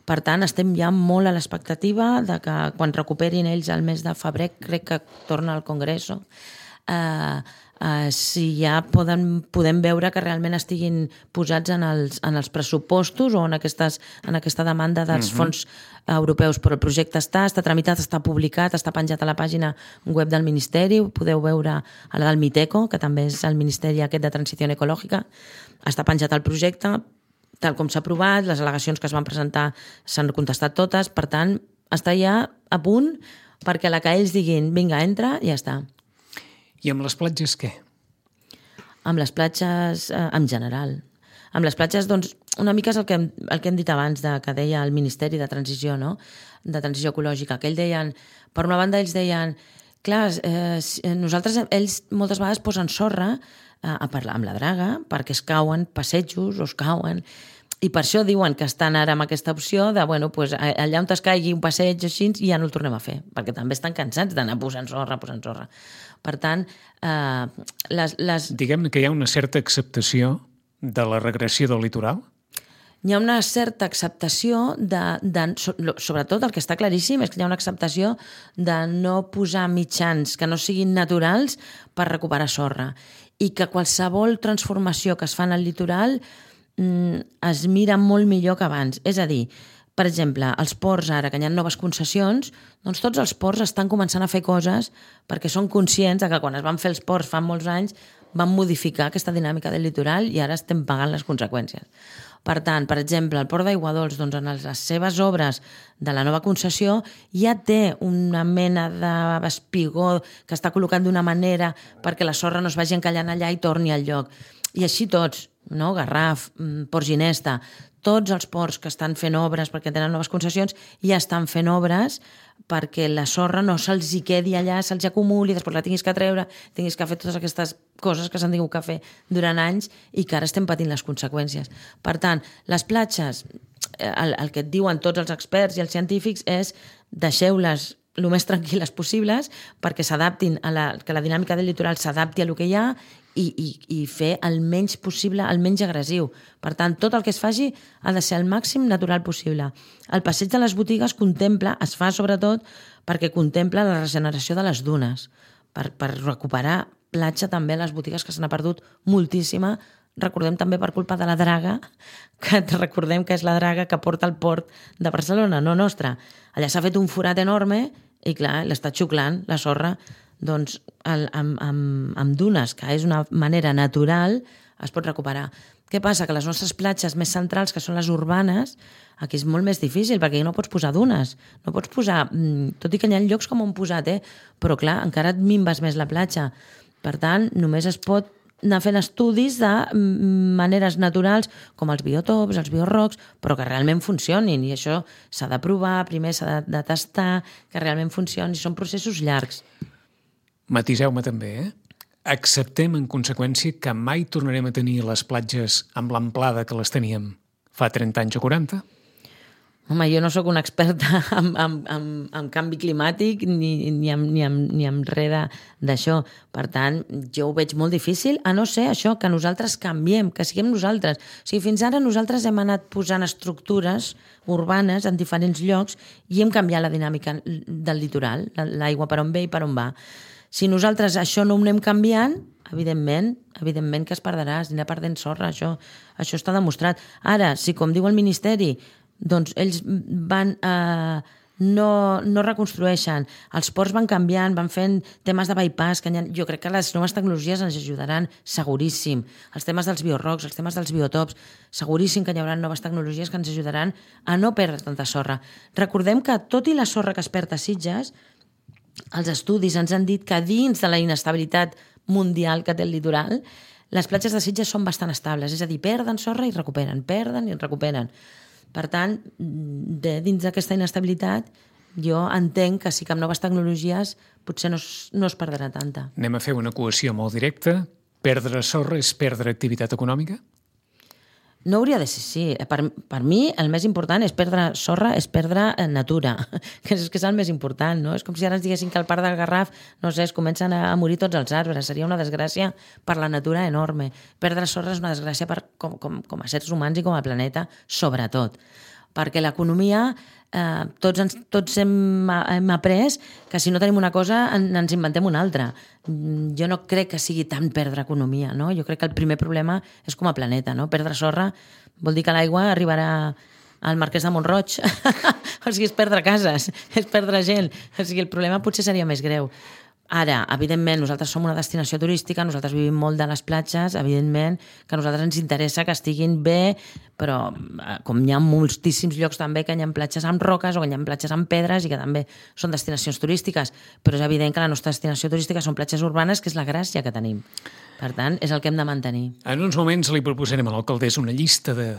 Per tant, estem ja molt a l'expectativa de que quan recuperin ells el mes de febrer, crec que torna al Congreso, eh, eh, si ja poden, podem veure que realment estiguin posats en els, en els pressupostos o en, aquestes, en aquesta demanda dels uh-huh. fons europeus. Però el projecte està, està tramitat, està publicat, està penjat a la pàgina web del Ministeri, ho podeu veure a la del Miteco, que també és el Ministeri aquest de Transició Ecològica, està penjat el projecte, tal com s'ha aprovat, les al·legacions que es van presentar s'han contestat totes, per tant, està ja a punt perquè a la que ells diguin, vinga, entra, ja està. I amb les platges què? Amb les platges, eh, en general. Amb les platges, doncs, una mica és el que, hem, el que hem dit abans, de, que deia el Ministeri de Transició, no? De Transició Ecològica, que ells deien, per una banda ells deien, clar, eh, nosaltres, ells moltes vegades posen sorra eh, a parlar amb la draga, perquè es cauen passejos o es cauen, i per això diuen que estan ara amb aquesta opció de, bueno, pues, allà on es caigui un passeig així, ja no el tornem a fer, perquè també estan cansats d'anar posant sorra, posant sorra. Per tant, eh, les... les... Diguem que hi ha una certa acceptació de la regressió del litoral? Hi ha una certa acceptació de, de... Sobretot el que està claríssim és que hi ha una acceptació de no posar mitjans que no siguin naturals per recuperar sorra i que qualsevol transformació que es fa en el litoral es mira molt millor que abans. És a dir, per exemple, els ports ara, que hi ha noves concessions, doncs tots els ports estan començant a fer coses perquè són conscients de que quan es van fer els ports fa molts anys van modificar aquesta dinàmica del litoral i ara estem pagant les conseqüències. Per tant, per exemple, el Port d'Aiguadols, doncs, en les seves obres de la nova concessió ja té una mena d'espigó que està col·locat d'una manera perquè la sorra no es vagi encallant allà i torni al lloc. I així tots, no? Garraf, Port Ginesta, tots els ports que estan fent obres perquè tenen noves concessions ja estan fent obres perquè la sorra no se'ls hi quedi allà, se'ls acumuli, després la tinguis que treure, tinguis que fer totes aquestes coses que s'han tingut que fer durant anys i que ara estem patint les conseqüències. Per tant, les platges, el, el que et diuen tots els experts i els científics és deixeu-les el més tranquil·les possibles perquè s'adaptin a la, que la dinàmica del litoral s'adapti a lo que hi ha i, i, i fer el menys possible, el menys agressiu. Per tant, tot el que es faci ha de ser el màxim natural possible. El passeig de les botigues contempla, es fa sobretot perquè contempla la regeneració de les dunes, per, per recuperar platja també a les botigues que se n'ha perdut moltíssima. Recordem també per culpa de la draga, que recordem que és la draga que porta al port de Barcelona, no nostra. Allà s'ha fet un forat enorme i, clar, l'està xuclant la sorra. Doncs el, amb, amb, amb dunes, que és una manera natural, es pot recuperar. Què passa? Que les nostres platges més centrals, que són les urbanes, aquí és molt més difícil, perquè no pots posar dunes. No pots posar, tot i que hi ha llocs com on posat, eh? Però clar, encara et minves més la platja. Per tant, només es pot anar fent estudis de maneres naturals, com els biotops, els biorrocs, però que realment funcionin. I això s'ha de provar, primer s'ha de, de tastar, que realment funcioni. Són processos llargs. Matiseu-me també, eh? Acceptem, en conseqüència, que mai tornarem a tenir les platges amb l'amplada que les teníem fa trenta anys o quaranta? Home, jo no sóc una experta en, en, en, en canvi climàtic ni, ni, en, ni, en, ni en res d'això. Per tant, jo ho veig molt difícil, a no ser això, que nosaltres canviem, que siguem nosaltres. O sigui, fins ara nosaltres hem anat posant estructures urbanes en diferents llocs i hem canviat la dinàmica del litoral, l'aigua per on ve i per on va. Si nosaltres això no ho anem canviant, evidentment, evidentment que es perdrà, es anirà perdent sorra, això, això està demostrat. Ara, si com diu el Ministeri, doncs ells van, eh, no, no reconstrueixen, els ports van canviant, van fent temes de bypass, que ha, jo crec que les noves tecnologies ens ajudaran seguríssim, els temes dels biorocs, els temes dels biotops, seguríssim que hi haurà noves tecnologies que ens ajudaran a no perdre tanta sorra. Recordem que tot i la sorra que es perd a Sitges, els estudis ens han dit que dins de la inestabilitat mundial que té el litoral, les platges de Sitges són bastant estables, és a dir, perden sorra i recuperen, perden i recuperen. Per tant, de, dins d'aquesta inestabilitat, jo entenc que sí que amb noves tecnologies potser no es, no es perdrà tanta. Anem a fer una equació molt directa. Perdre sorra és perdre activitat econòmica? No hauria de ser així. Per, per mi, el més important és perdre sorra, és perdre natura, que és, que és el més important, no? És com si ara ens diguessin que al Parc del Garraf, no sé, es comencen a morir tots els arbres. Seria una desgràcia per la natura enorme. Perdre sorra és una desgràcia per, com, com, com a seres humans i com a planeta, sobretot. Perquè l'economia, eh, tots, ens, tots hem, hem après que si no tenim una cosa en, ens inventem una altra. Jo no crec que sigui tant perdre economia, no? Jo crec que el primer problema és com a planeta, no? Perdre sorra vol dir que l'aigua arribarà al Marquès de Mont-roig. O sigui, és perdre cases, és perdre gent. O sigui, el problema potser seria més greu. Ara, evidentment, nosaltres som una destinació turística, nosaltres vivim molt de les platges, evidentment que a nosaltres ens interessa que estiguin bé, però com hi ha moltíssims llocs també que hi ha platges amb roques o que hi ha platges amb pedres i que també són destinacions turístiques, però és evident que la nostra destinació turística són platges urbanes, que és la gràcia que tenim. Per tant, és el que hem de mantenir. En uns moments li proposarem a l'alcaldessa una llista de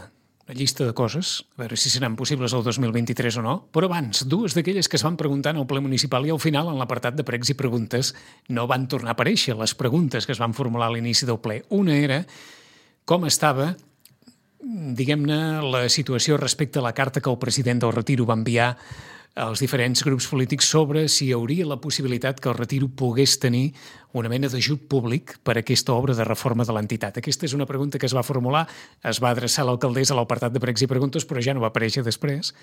una llista de coses, a veure si seran possibles el dos mil vint-i-tres o no, però abans, dues d'aquelles que es van preguntar en el ple municipal i al final, en l'apartat de pregs i preguntes, no van tornar a aparèixer les preguntes que es van formular a l'inici del ple. Una era com estava, diguem-ne, la situació respecte a la carta que el president del Retiro va enviar als diferents grups polítics sobre si hi hauria la possibilitat que el Retiro pogués tenir una mena d'ajut públic per a aquesta obra de reforma de l'entitat. Aquesta és una pregunta que es va formular, es va adreçar a l'alcaldessa a l'apartat de pregs i preguntes, però ja no va aparèixer després.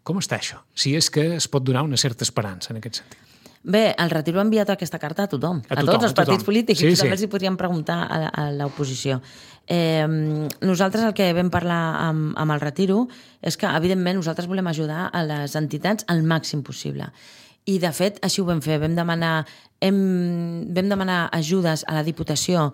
Com està això? Si és que es pot donar una certa esperança en aquest sentit. Bé, el Retiro ha enviat aquesta carta a tothom, a, a tothom, tots els partits polítics, sí, i també sí. Els hi podríem preguntar a, a l'oposició. Eh, nosaltres el que vam parlar amb, amb el Retiro és que, evidentment, nosaltres volem ajudar a les entitats al màxim possible. I, de fet, així ho vam fer. Vam demanar, hem, vam demanar ajudes a la Diputació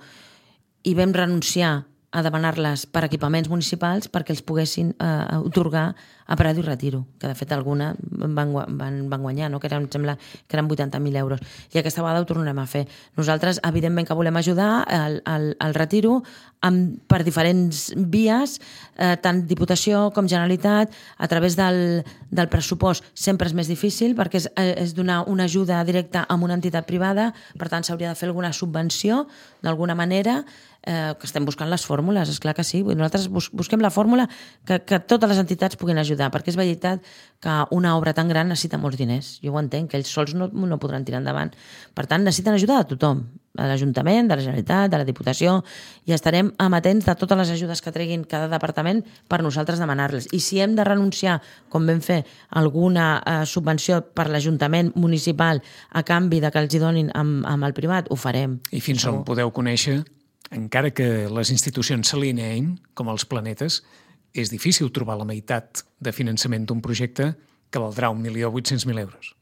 i vam renunciar a demanar-les per equipaments municipals perquè els poguessin eh, otorgar a Prado i Retiro, que de fet alguna van, van, van guanyar, no? Que eren, em sembla que eren vuitanta mil euros. I aquesta vegada ho tornarem a fer. Nosaltres, evidentment, que volem ajudar al, al, al Retiro amb, per diferents vies, eh, tant Diputació com Generalitat, a través del, del pressupost sempre és més difícil perquè és, és donar una ajuda directa a una entitat privada, per tant s'hauria de fer alguna subvenció d'alguna manera, eh, que estem buscant les fórmules, és clar que sí. Nosaltres bus, busquem la fórmula que, que totes les entitats puguin ajudar, perquè és veritat que una obra tan gran necessita molts diners. Jo ho entenc, que ells sols no, no podran tirar endavant. Per tant, necessiten ajuda de tothom, de l'Ajuntament, de la Generalitat, de la Diputació, i estarem amatents de totes les ajudes que treguin cada departament per nosaltres demanar-les. I si hem de renunciar, com vam fer, alguna eh, subvenció per l'Ajuntament municipal a canvi de que els hi donin amb, amb el privat, ho farem. I fins on podeu conèixer, encara que les institucions s'alineïn, com els planetes, és difícil trobar la meitat de finançament d'un projecte que valdrà un milió vuit-cents mil euros.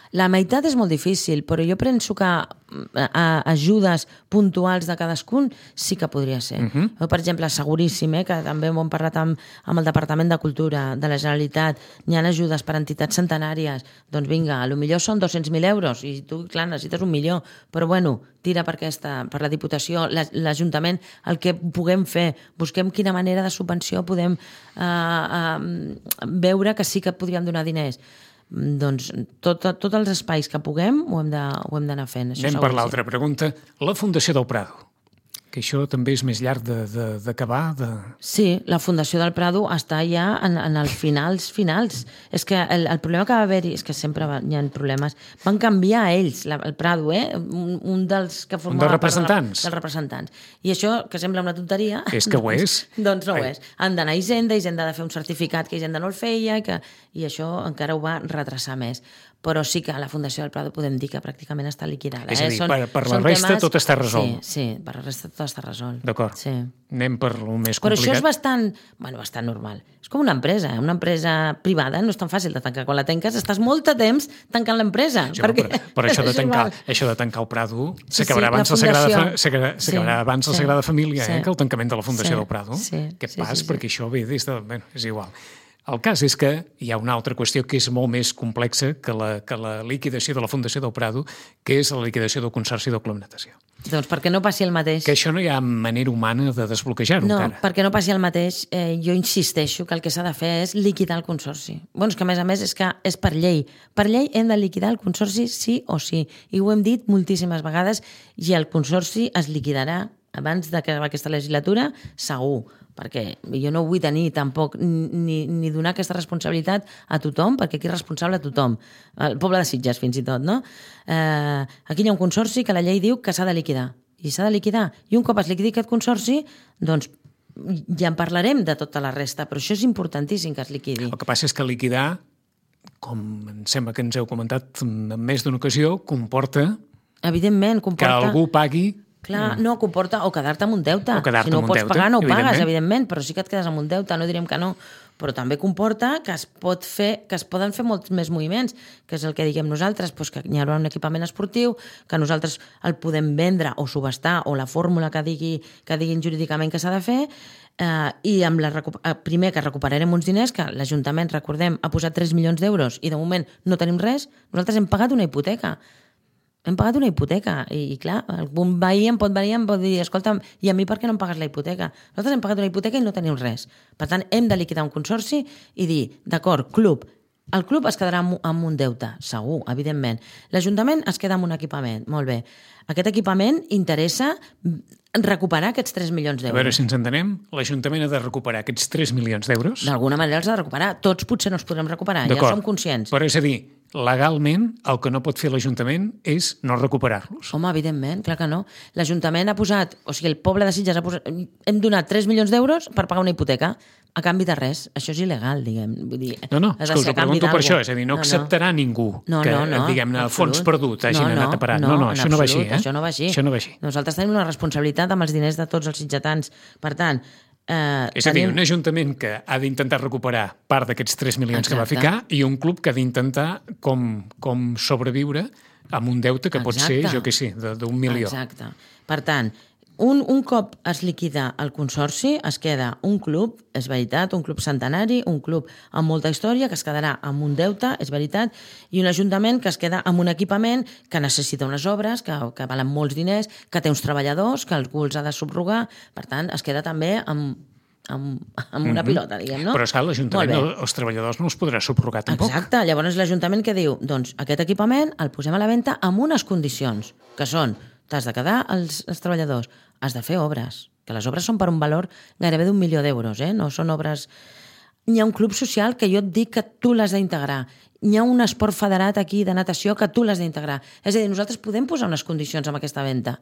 La meitat és molt difícil, però jo penso que a ajudes puntuals de cadascun sí que podria ser. Uh -huh. Per exemple, seguríssim, eh, que també ho hem parlat amb, amb el Departament de Cultura de la Generalitat, n'hi ha ajudes per a entitats centenàries, doncs vinga, potser són dos-cents mil euros i tu, clar, necessites un milió, però bueno, tira per aquesta, per la Diputació, l'Ajuntament, el que puguem fer, busquem quina manera de subvenció podem eh, eh, veure que sí que podríem donar diners. Doncs tots tot els espais que puguem ho hem d'anar fent. Això anem per l'altra pregunta. La Fundació del Prado. que això també és més llarg d'acabar. De, de... Sí, la Fundació del Prado està ja en, en els finals finals. És que el, el problema que va haver-hi, és que sempre va, hi ha problemes, van canviar ells, la, el Prado, eh? un, un dels que formava... Un dels representants. De la, dels representants. I això, que sembla una tonteria... És que ho doncs, és. Doncs no ho és. Han d'anar a Hisenda, Hisenda ha de fer un certificat que Hisenda no el feia, i, que, i això encara ho va retrasar més. Però sí que a la Fundació del Prado podem dir que pràcticament està liquidada. És a dir, eh? són, per, per la resta temes... tot està resolt. Sí, sí, per la resta tot està resolt. D'acord. Sí. Anem per lo més complicat. Però això és bastant, bueno, bastant normal. És com una empresa. Una empresa privada no és tan fàcil de tancar. Quan la tanques estàs molt de temps tancant l'empresa. Sí, perquè... però, però això, de tancar, això de tancar el Prado s'acabarà sí, abans, la Sagrada, s'acabarà sí, abans sí, la Sagrada Família sí, eh, que el tancament de la Fundació sí, del Prado. Sí, Què sí, pas? Sí, sí. Perquè això ve des de... Bé, és igual. El cas és que hi ha una altra qüestió que és molt més complexa que la, que la liquidació de la Fundació del Prado, que és la liquidació del Consorci del Club Natació. Doncs perquè no passi el mateix. Que això no hi ha manera humana de desbloquejar-ho no, encara. No, perquè no passi el mateix, eh, jo insisteixo que el que s'ha de fer és liquidar el Consorci. Bueno, és que a més a més és que és per llei. Per llei hem de liquidar el Consorci sí o sí. I ho hem dit moltíssimes vegades, i el Consorci es liquidarà abans d'acabar aquesta legislatura, segur, perquè jo no vull tenir tampoc ni, ni donar aquesta responsabilitat a tothom, perquè aquí és responsable a tothom, el poble de Sitges fins i tot, no? Eh, aquí hi ha un consorci que la llei diu que s'ha de liquidar, i s'ha de liquidar, i un cop es liquidi aquest consorci, doncs ja en parlarem de tota la resta, però això és importantíssim que es liquidi. El que passa és que liquidar, com em sembla que ens heu comentat en més d'una ocasió, comporta, evidentment, comporta... que algú pagui. Clar, no, comporta o quedar-te amb un deute. O quedar-te si no amb ho un pots deute, pagar, no ho evidentment. pagues, evidentment, però sí que et quedes amb un deute, no direm que no. Però també comporta que es pot fer, que es poden fer molts més moviments, que és el que diguem nosaltres, doncs que hi haurà un equipament esportiu, que nosaltres el podem vendre o subestar, o la fórmula que, digui, que diguin jurídicament que s'ha de fer, eh, i amb la recu- primer que recuperarem uns diners, que l'Ajuntament, recordem, ha posat tres milions d'euros i de moment no tenim res, nosaltres hem pagat una hipoteca. Hem pagat una hipoteca i, i clar, algun veí em pot venir i em pot dir, escolta'm, i a mi per què no em pagues la hipoteca? Nosaltres hem pagat una hipoteca i no tenim res. Per tant, hem de liquidar un consorci i dir, d'acord, club, el club es quedarà amb, amb un deute, segur, evidentment. L'Ajuntament es queda amb un equipament, molt bé. Aquest equipament interessa recuperar aquests tres milions d'euros. A veure si ens entenem, l'Ajuntament ha de recuperar aquests tres milions d'euros. D'alguna manera els ha de recuperar. Tots potser no els podrem recuperar, ja som conscients. Però és a dir, legalment, el que no pot fer l'Ajuntament és no recuperar-los. Home, evidentment, clar que no. L'Ajuntament ha posat, o sigui, el poble de Sitges ha posat, hem donat tres milions d'euros per pagar una hipoteca, a canvi de res. Això és il·legal, diguem. Vull dir, no, no, és que us ho pregunto per això, és a dir, no, no acceptarà no. ningú no, que, no, no, diguem-ne, fons perdut hagin no, no, anat a parar. No, no, no, no això no va així, eh? Això no va així. Això no va així. Nosaltres tenim una responsabilitat amb els diners de tots els sitgetans. Per tant, Eh, és a dir, un ajuntament que ha d'intentar recuperar part d'aquests tres milions Exacte. que va ficar i un club que ha d'intentar com, com sobreviure amb un deute que Exacte. pot ser, jo què sé, d'un milió. Exacte. Per tant, un, un cop es liquida el consorci, es queda un club, és veritat, un club centenari, un club amb molta història, que es quedarà amb un deute, és veritat, i un ajuntament que es queda amb un equipament que necessita unes obres, que, que valen molts diners, que té uns treballadors, que algú els ha de subrogar, per tant, es queda també amb, amb, amb una mm-hmm. pilota, diguem, no? Però, esclar, l'Ajuntament, els treballadors no els podrà subrogar tampoc. Exacte, llavors l'Ajuntament que diu, doncs aquest equipament el posem a la venda amb unes condicions, que són, t'has de quedar els, els treballadors, has de fer obres, que les obres són per un valor gairebé d'un milió d'euros, eh? No són obres... Hi ha un club social que jo et dic que tu l'has d'integrar. Hi ha un esport federat aquí de natació que tu l'has d'integrar. És a dir, nosaltres podem posar unes condicions amb aquesta venda,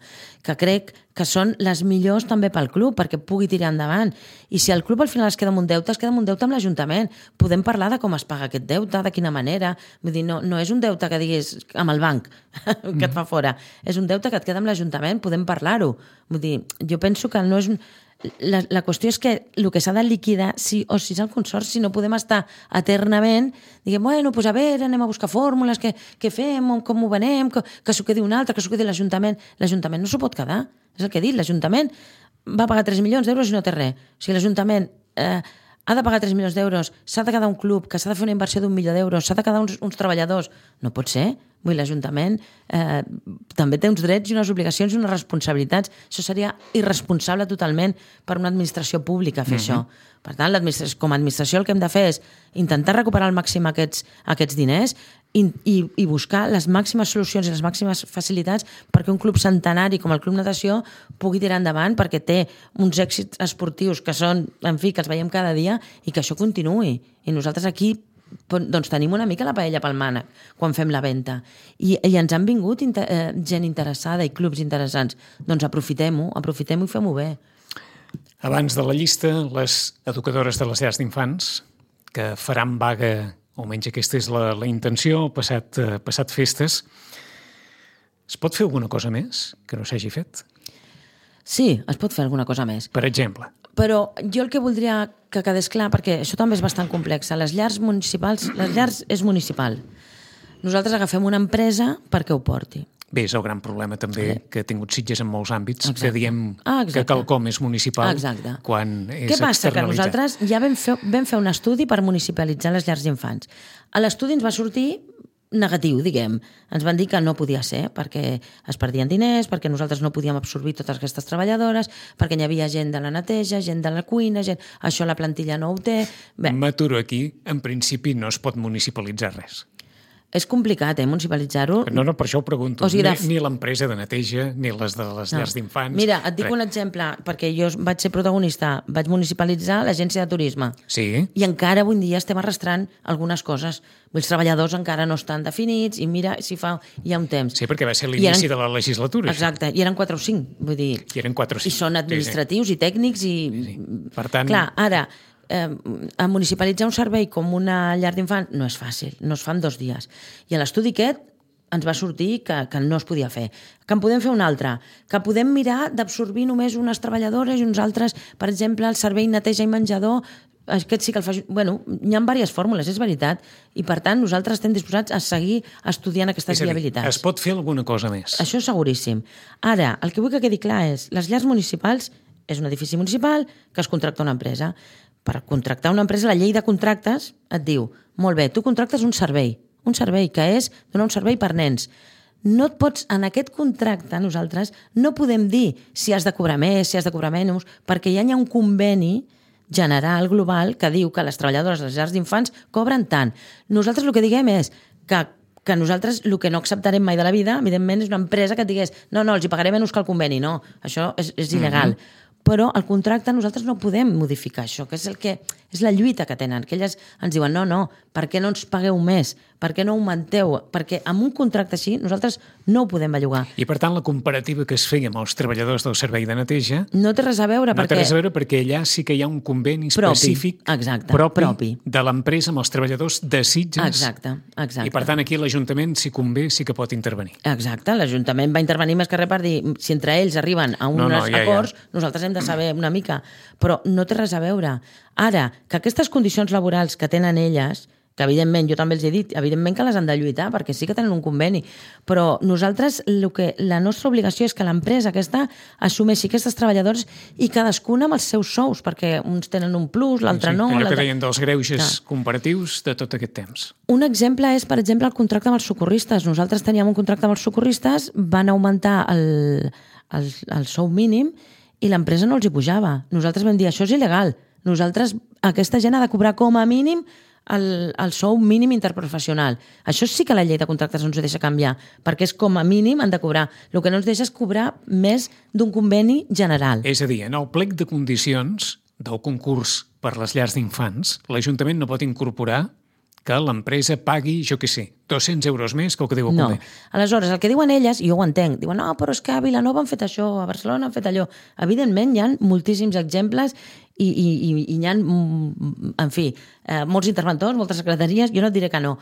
que crec que són les millors també pel club, perquè pugui tirar endavant. I si el club al final es queda amb un deute, es queda amb un deute amb l'Ajuntament. Podem parlar de com es paga aquest deute, de quina manera. Vull dir, no, no és un deute que diguis amb el banc, que et fa fora. És un deute que et queda amb l'Ajuntament, podem parlar-ho. Vull dir, jo penso que no és... La, la qüestió és que el que s'ha de liquidar sí o sí és el consorci, no podem estar eternament diguem, bueno, doncs a veure, anem a buscar fórmules, què, què fem, com ho venem, que, que s'ho quedi un altre, que s'ho quedi l'Ajuntament. L'Ajuntament no s'ho pot quedar, és el que he dit, l'Ajuntament va pagar tres milions d'euros i no té res. O sigui, l'Ajuntament eh, ha de pagar tres milions d'euros, s'ha de quedar un club, que s'ha de fer una inversió d'un milió d'euros, s'ha de quedar uns, uns treballadors. No pot ser. Vull dir, l'Ajuntament eh, també té uns drets i unes obligacions i unes responsabilitats. Això seria irresponsable totalment per una administració pública fer mm-hmm. això. Per tant, com a administració el que hem de fer és intentar recuperar al màxim aquests, aquests diners i, i, i buscar les màximes solucions i les màximes facilitats perquè un club centenari com el Club Natació pugui tirar endavant, perquè té uns èxits esportius que són, en fi, que els veiem cada dia i que això continuï. I nosaltres aquí doncs tenim una mica la paella pel mànec quan fem la venda. I, i ens han vingut inter, eh, gent interessada i clubs interessants. Doncs aprofitem-ho, aprofitem-ho i fem-ho bé. Abans de la llista, les educadores de les llars d'infants, que faran vaga, o almenys aquesta és la, la intenció, passat, eh, passat festes. Es pot fer alguna cosa més que no s'hagi fet? Sí, es pot fer alguna cosa més. Per exemple? Però jo el que voldria que quedés clar, perquè això també és bastant complex, les llars municipals, les llars és municipal. Nosaltres agafem una empresa perquè ho porti. Bé, és el gran problema també sí. que ha tingut Sitges en molts àmbits, exacte. Que diem ah, que quelcom és municipal exacte. Quan és Què passa? Que externalitzat. Nosaltres ja vam fer, vam fer un estudi per municipalitzar les llars d'infants. A l'estudi ens va sortir negatiu, diguem. Ens van dir que no podia ser, perquè es perdien diners, perquè nosaltres no podíem absorbir totes aquestes treballadores, perquè hi havia gent de la neteja, gent de la cuina, gent... això la plantilla no ho té... Bé. M'aturo aquí. En principi no es pot municipalitzar res. És complicat, eh, municipalitzar-ho. No, no, per això ho pregunto. O sigui, de... Ni, ni l'empresa de neteja, ni les de les no. llars d'infants. Mira, et dic res. Un exemple, perquè jo vaig ser protagonista, vaig municipalitzar l'agència de turisme. Sí. I encara avui dia estem arrastrant algunes coses. Els treballadors encara no estan definits i mira si fa ja un temps. Sí, perquè va ser l'inici eren... de la legislatura. Exacte, i eren quatre o cinc, vull dir... I eren quatre o cinc. I són administratius sí, sí. i tècnics i... Sí. Per tant... Clar, ara... Eh, a municipalitzar un servei com una llar d'infants no és fàcil, no es fa en dos dies. I a l'estudi aquest ens va sortir que, que no es podia fer. Que en podem fer un altre, que podem mirar d'absorbir només unes treballadores i uns altres, per exemple, el servei neteja i menjador, aquest sí que el fa... Bueno, hi ha diverses fórmules, és veritat, i per tant nosaltres estem disposats a seguir estudiant aquestes viabilitats. Es pot fer alguna cosa més. Això seguríssim. Ara, el que vull que quedi clar és, les llars municipals és un edifici municipal que es contracta una empresa. Per contractar una empresa, la llei de contractes et diu, molt bé, tu contractes un servei, un servei que és donar un servei per nens. No et pots, en aquest contracte, nosaltres no podem dir si has de cobrar més, si has de cobrar menys, perquè ja hi ha un conveni general, global, que diu que les treballadores de les llars d'infants cobren tant. Nosaltres el que diguem és que, que nosaltres el que no acceptarem mai de la vida, evidentment, és una empresa que et digués no, no, els hi pagaré menys que el conveni. No, això és, és il·legal. Mm-hmm. Però el contracte nosaltres no podem modificar això, que és, el que, és la lluita que tenen, que elles ens diuen no, no, per què no ens pagueu més? Per què no augmenteu? Perquè amb un contracte així nosaltres no ho podem bellugar. I per tant la comparativa que es feia amb els treballadors del servei de neteja no té res a veure, no perquè... té res a veure perquè allà sí que hi ha un conveni específic propi, exacte, propi, propi de l'empresa amb els treballadors de Sitges. Exacte, exacte. I per tant aquí l'Ajuntament, si convé, sí que pot intervenir. Exacte, l'Ajuntament va intervenir més que res per dir si entre ells arriben a uns no, no, ja, acords, ja. Nosaltres hem de saber una mica, però no té res a veure. Ara, que aquestes condicions laborals que tenen elles, que evidentment, jo també els he dit, evidentment que les han de lluitar, perquè sí que tenen un conveni, però nosaltres, el que, la nostra obligació és que l'empresa aquesta assumeixi aquestes treballadores i cadascuna amb els seus sous, perquè uns tenen un plus, l'altre sí, no... Allò l'altre... que deien dels greuges ah. comparatius de tot aquest temps. Un exemple és, per exemple, el contracte amb els socorristes. Nosaltres teníem un contracte amb els socorristes, van augmentar el, el, el sou mínim i l'empresa no els hi pujava. Nosaltres vam dir, això és il·legal. Nosaltres, aquesta gent ha de cobrar com a mínim el, el sou mínim interprofessional. Això sí que la llei de contractes no ens ho deixa canviar, perquè és com a mínim han de cobrar. El que no ens deixa és cobrar més d'un conveni general. És a dir, en el plec de condicions del concurs per les llars d'infants, l'Ajuntament no pot incorporar que l'empresa pagui, jo què sé, dos-cents euros més que el que diu el no. conveni. Aleshores, el que diuen elles, i jo ho entenc, diuen, no, però és que a Vilanova han fet això, a Barcelona han fet allò. Evidentment, hi ha moltíssims exemples i, i, i, i hi ha, en fi, eh, molts interventors, moltes secretaries, jo no et diré que no,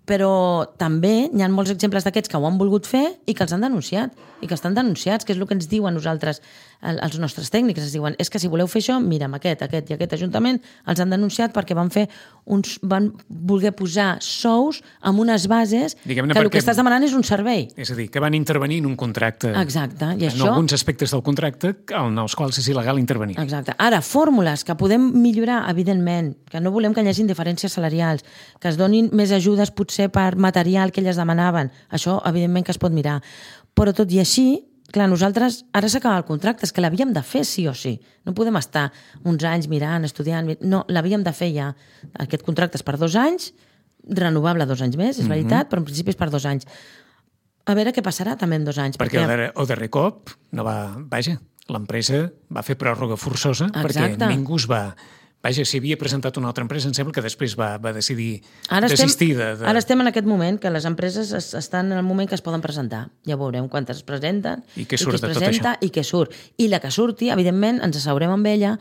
però també hi ha molts exemples d'aquests que ho han volgut fer i que els han denunciat, i que estan denunciats, que és el que ens diuen nosaltres, els nostres tècnics, ens diuen, és que si voleu fer això, mira, amb aquest, aquest i aquest ajuntament els han denunciat perquè van fer uns, van voler posar sous amb unes bases bases Diguem-ne que el perquè- que estàs demanant és un servei. És a dir, que van intervenir en un contracte. Exacte, i en això... alguns aspectes del contracte en els quals és il·legal intervenir. Exacte. Ara, fórmules que podem millorar, evidentment, que no volem que hi hagi diferències salarials, que es donin més ajudes potser per material que elles demanaven, això evidentment que es pot mirar. Però tot i així, clar, nosaltres ara s'acaba el contracte, és que l'havíem de fer sí o sí. No podem estar uns anys mirant, estudiant... No, l'havíem de fer ja. Aquest contracte és per dos anys, renovable dos anys més, és mm-hmm. veritat, però en principi és per dos anys. A veure què passarà també en dos anys. Perquè, perquè... el, darrer, el darrer cop, no va, vaja, l'empresa va fer pròrroga forçosa. Exacte. Perquè ningú es va... Vaja, si havia presentat una altra empresa, em sembla que després va, va decidir ara desistir estem, de, de... Ara estem en aquest moment, que les empreses es, estan en el moment que es poden presentar. Ja veurem quantes es presenten, i què surt i qui es de tot presenta això. I què surt. I la que surti, evidentment, ens asseurem amb ella.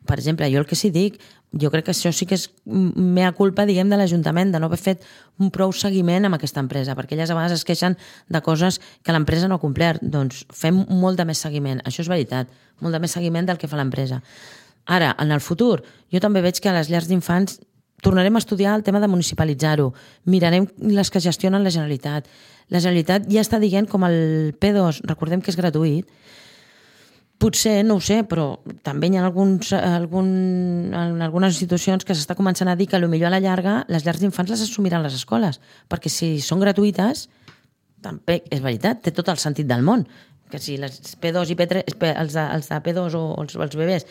Per exemple, jo el que sí dic, jo crec que això sí que és mea culpa, diguem, de l'Ajuntament, de no haver fet un prou seguiment amb aquesta empresa, perquè elles a vegades es queixen de coses que l'empresa no ha complert. Doncs fem molt de més seguiment, això és veritat, molt de més seguiment del que fa l'empresa. Ara, en el futur, jo també veig que a les llars d'infants tornarem a estudiar el tema de municipalitzar-ho, mirarem les que gestionen la Generalitat. La Generalitat ja està dient com el P dos, recordem que és gratuït, potser, no ho sé, però també hi ha alguns, algun, en algunes institucions que s'està començant a dir que potser a la llarga les llars d'infants les assumiran les escoles, perquè si són gratuïtes, també és veritat, té tot el sentit del món, que si les P dos i P tres, els de, els de P dos o els, els bebès,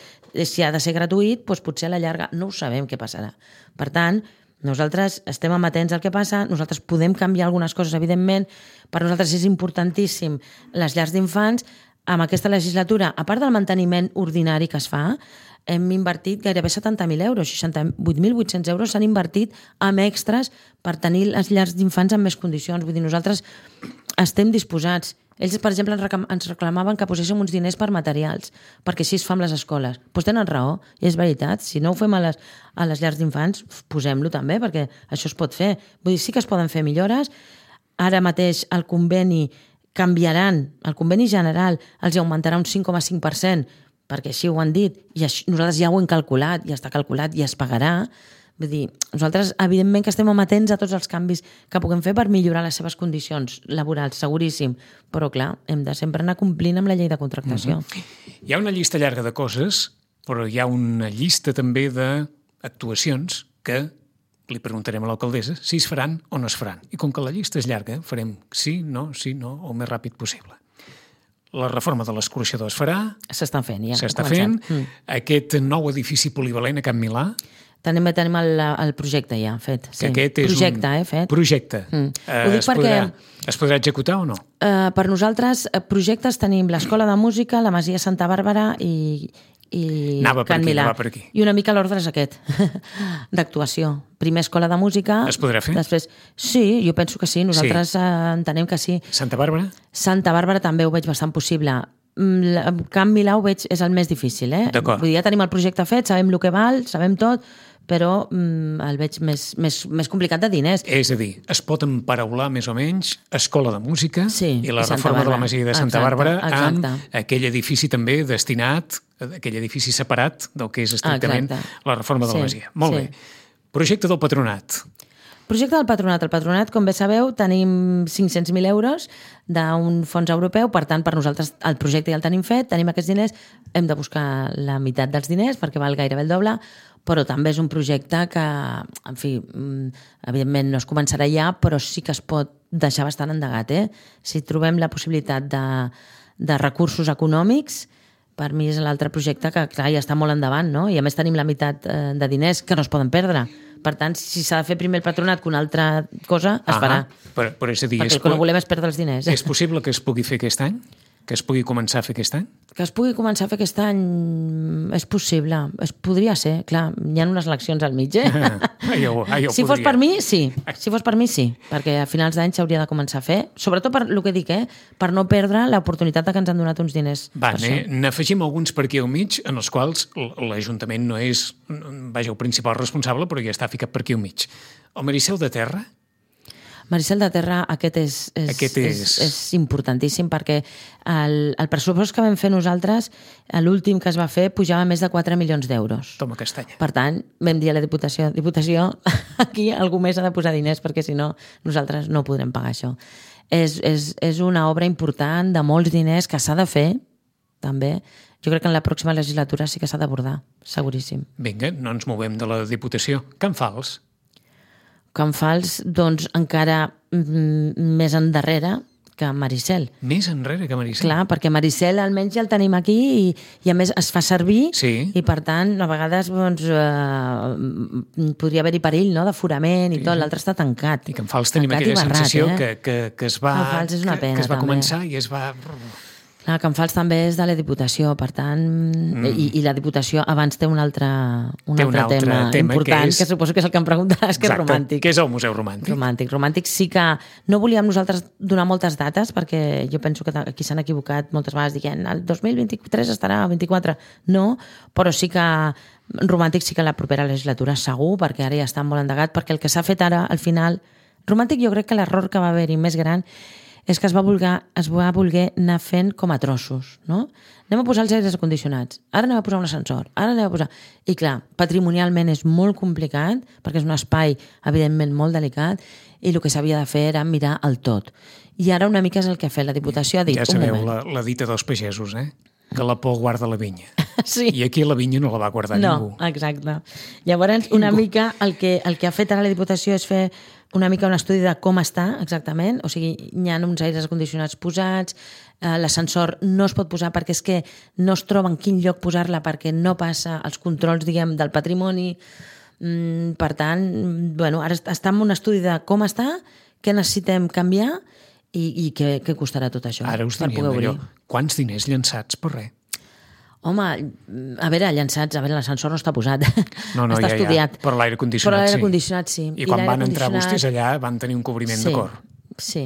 si ha de ser gratuït, doncs potser a la llarga no ho sabem què passarà. Per tant, nosaltres estem amatents al que passa, nosaltres podem canviar algunes coses, evidentment, per nosaltres és importantíssim les llars d'infants. Amb aquesta legislatura, a part del manteniment ordinari que es fa, hem invertit gairebé setanta mil euros, seixanta-vuit mil vuit-cents euros s'han invertit amb extras per tenir les llars d'infants en més condicions. Vull dir, nosaltres estem disposats. Ells, per exemple, ens reclamaven que poséssim uns diners per materials, perquè així es fa amb les escoles. Doncs tenen raó, i és veritat. Si no ho fem a les, a les llars d'infants, posem-lo també, perquè això es pot fer. Vull dir, sí que es poden fer millores. Ara mateix el conveni canviaran, el conveni general els augmentarà un cinc coma cinc per cent, perquè així ho han dit, i això, nosaltres ja ho hem calculat, ja està calculat i es pagarà. Vull dir, nosaltres evidentment que estem amatents a tots els canvis que puguem fer per millorar les seves condicions laborals, seguríssim, però clar, hem de sempre anar complint amb la llei de contractació. Mm-hmm. Hi ha una llista llarga de coses, però hi ha una llista també d'actuacions que li preguntarem a l'alcaldessa si es faran o no es faran. I com que la llista és llarga, farem sí, no, sí, no, el més ràpid possible. La reforma de l'escorxador es farà. S'estan fent, ja. S'està fent. Mm. Aquest nou edifici polivalent a Can Milà. Tenim, tenim el, el projecte ja fet. Sí. Que aquest és projecte, un eh, fet. projecte. Mm. Uh, Ho dic es, perquè... podrà, es podrà executar o no? Uh, per nosaltres, projectes tenim l'Escola de Música, la Masia Santa Bàrbara i, i anava Can aquí, Milà. Per aquí. I una mica l'ordre és aquest, d'actuació. Primer Escola de Música... Es podrà fer? Després, sí, jo penso que sí, nosaltres sí. Uh, entenem que sí. Santa Bàrbara? Santa Bàrbara també ho veig bastant possible. Can Milà ho veig, és el més difícil, eh? D'acord. Vull dir, ja tenim el projecte fet, sabem el que val, sabem tot, però mm, el veig més, més, més complicat de diners. És a dir, es pot emparaular més o menys Escola de Música sí, i la i reforma de la Masia de Santa exacte, Bàrbara exacte. amb aquell edifici també destinat, aquell edifici separat del que és estrictament exacte. La reforma de la sí, Masia. Molt sí. bé. Projecte del Patronat. Projecte del Patronat. El Patronat, com bé sabeu, tenim cinc-cents mil euros d'un fons europeu, per tant, per nosaltres el projecte ja el tenim fet, tenim aquests diners, hem de buscar la meitat dels diners perquè val gairebé el doble, però també és un projecte que, en fi, evidentment no es començarà ja, però sí que es pot deixar bastant endegat. Eh? Si trobem la possibilitat de, de recursos econòmics, per mi és l'altre projecte que, clar, ja està molt endavant, no? I a més tenim la meitat de diners que no es poden perdre. Per tant, si s'ha de fer primer el Patronat que una altra cosa, es ah, farà. Però, però és a dir, perquè és el que no volem és perdre els diners. És possible que es pugui fer aquest any? Que es pugui començar a fer aquest any? Que es pugui començar a fer aquest any és possible. Es podria ser, clar, hi ha unes eleccions al mig, eh? Ah, jo, ah, jo si podria. fos per mi, sí. Si fos per mi, sí. Perquè a finals d'any s'hauria de començar a fer. Sobretot per el que dic, eh? Per no perdre l'oportunitat de que ens han donat uns diners. Va, n'afegim alguns per aquí al mig, en els quals l'Ajuntament no és, vaja, el principal responsable, però ja està ficat per aquí al mig. El Maricel de Terra? Maricel de Terra, aquest és, és, Aquest és... és, és importantíssim perquè el, el pressupost que vam fer nosaltres, l'últim que es va fer, pujava més de quatre milions d'euros. Toma castanya. Per tant, vam dir a la Diputació, Diputació, aquí algú més ha de posar diners perquè si no, nosaltres no podrem pagar això. És, és, és una obra important de molts diners que s'ha de fer, també. Jo crec que en la pròxima legislatura sí que s'ha d'abordar, seguríssim. Vinga, no ens movem de la Diputació. Can Fals? Can Fals, doncs, encara mm, més endarrere que Maricel. Més enrere que Maricel? Clar, perquè Maricel almenys ja el tenim aquí i, i a més es fa servir sí. i per tant a vegades doncs, eh, podria haver-hi perill, no?, d'aforament i sí, tot, sí. L'altre està tancat. I Can Fals tenim aquella barrat, sensació eh? que, que, que es va, és una pena, que, que es va també. començar i es va... Clar, Can Fals també és de la Diputació, per tant, mm. i, i la Diputació abans té un altre, un té altre, un altre tema, tema important, que, és... que suposo que és el que em preguntaràs, que Exacte, és romàntic. que és el Museu Romàntic. Romàntic. Romàntic sí que no volíem nosaltres donar moltes dates, perquè jo penso que aquí s'han equivocat moltes vegades dient el dos mil vint-i-tres estarà a vint-i-quatre. No, però sí que Romàntic sí que la propera legislatura segur, perquè ara ja està molt endegat, perquè el que s'ha fet ara, al final... Romàntic jo crec que l'error que va haver-hi més gran és que es va, voler, es va voler anar fent com a trossos, no? Anem a posar els aires acondicionats, ara anem a posar un ascensor, ara anem a posar... I clar, patrimonialment és molt complicat, perquè és un espai, evidentment, molt delicat, i el que s'havia de fer era mirar el tot. I ara una mica és el que ha fet la Diputació, ha dit, ja un sabeu, moment. La, la dita dels pagesos, eh? Que la por guarda la vinya. Sí. I aquí la vinya no la va guardar no, ningú. No, exacte. Llavors, una ningú. mica el que, el que ha fet ara la Diputació és fer una mica un estudi de com està exactament, o sigui, hi ha uns aires acondicionats posats, eh, l'ascensor no es pot posar perquè és que no es troba en quin lloc posar-la perquè no passa els controls, diguem, del patrimoni. Mm, per tant, bueno, ara està en un estudi de com està, què necessitem canviar i, i què, què costarà tot això. Ara us diríem allò, quants diners llançats per res? Home, a veure, llançats, a veure, l'ascensor no està posat. No, no, està ja, estudiat. Ja. Però l'aire condicionat, però l'aire sí. condicionat sí. I, I quan van entrar vostès allà van tenir un cobriment sí, de cor. Sí,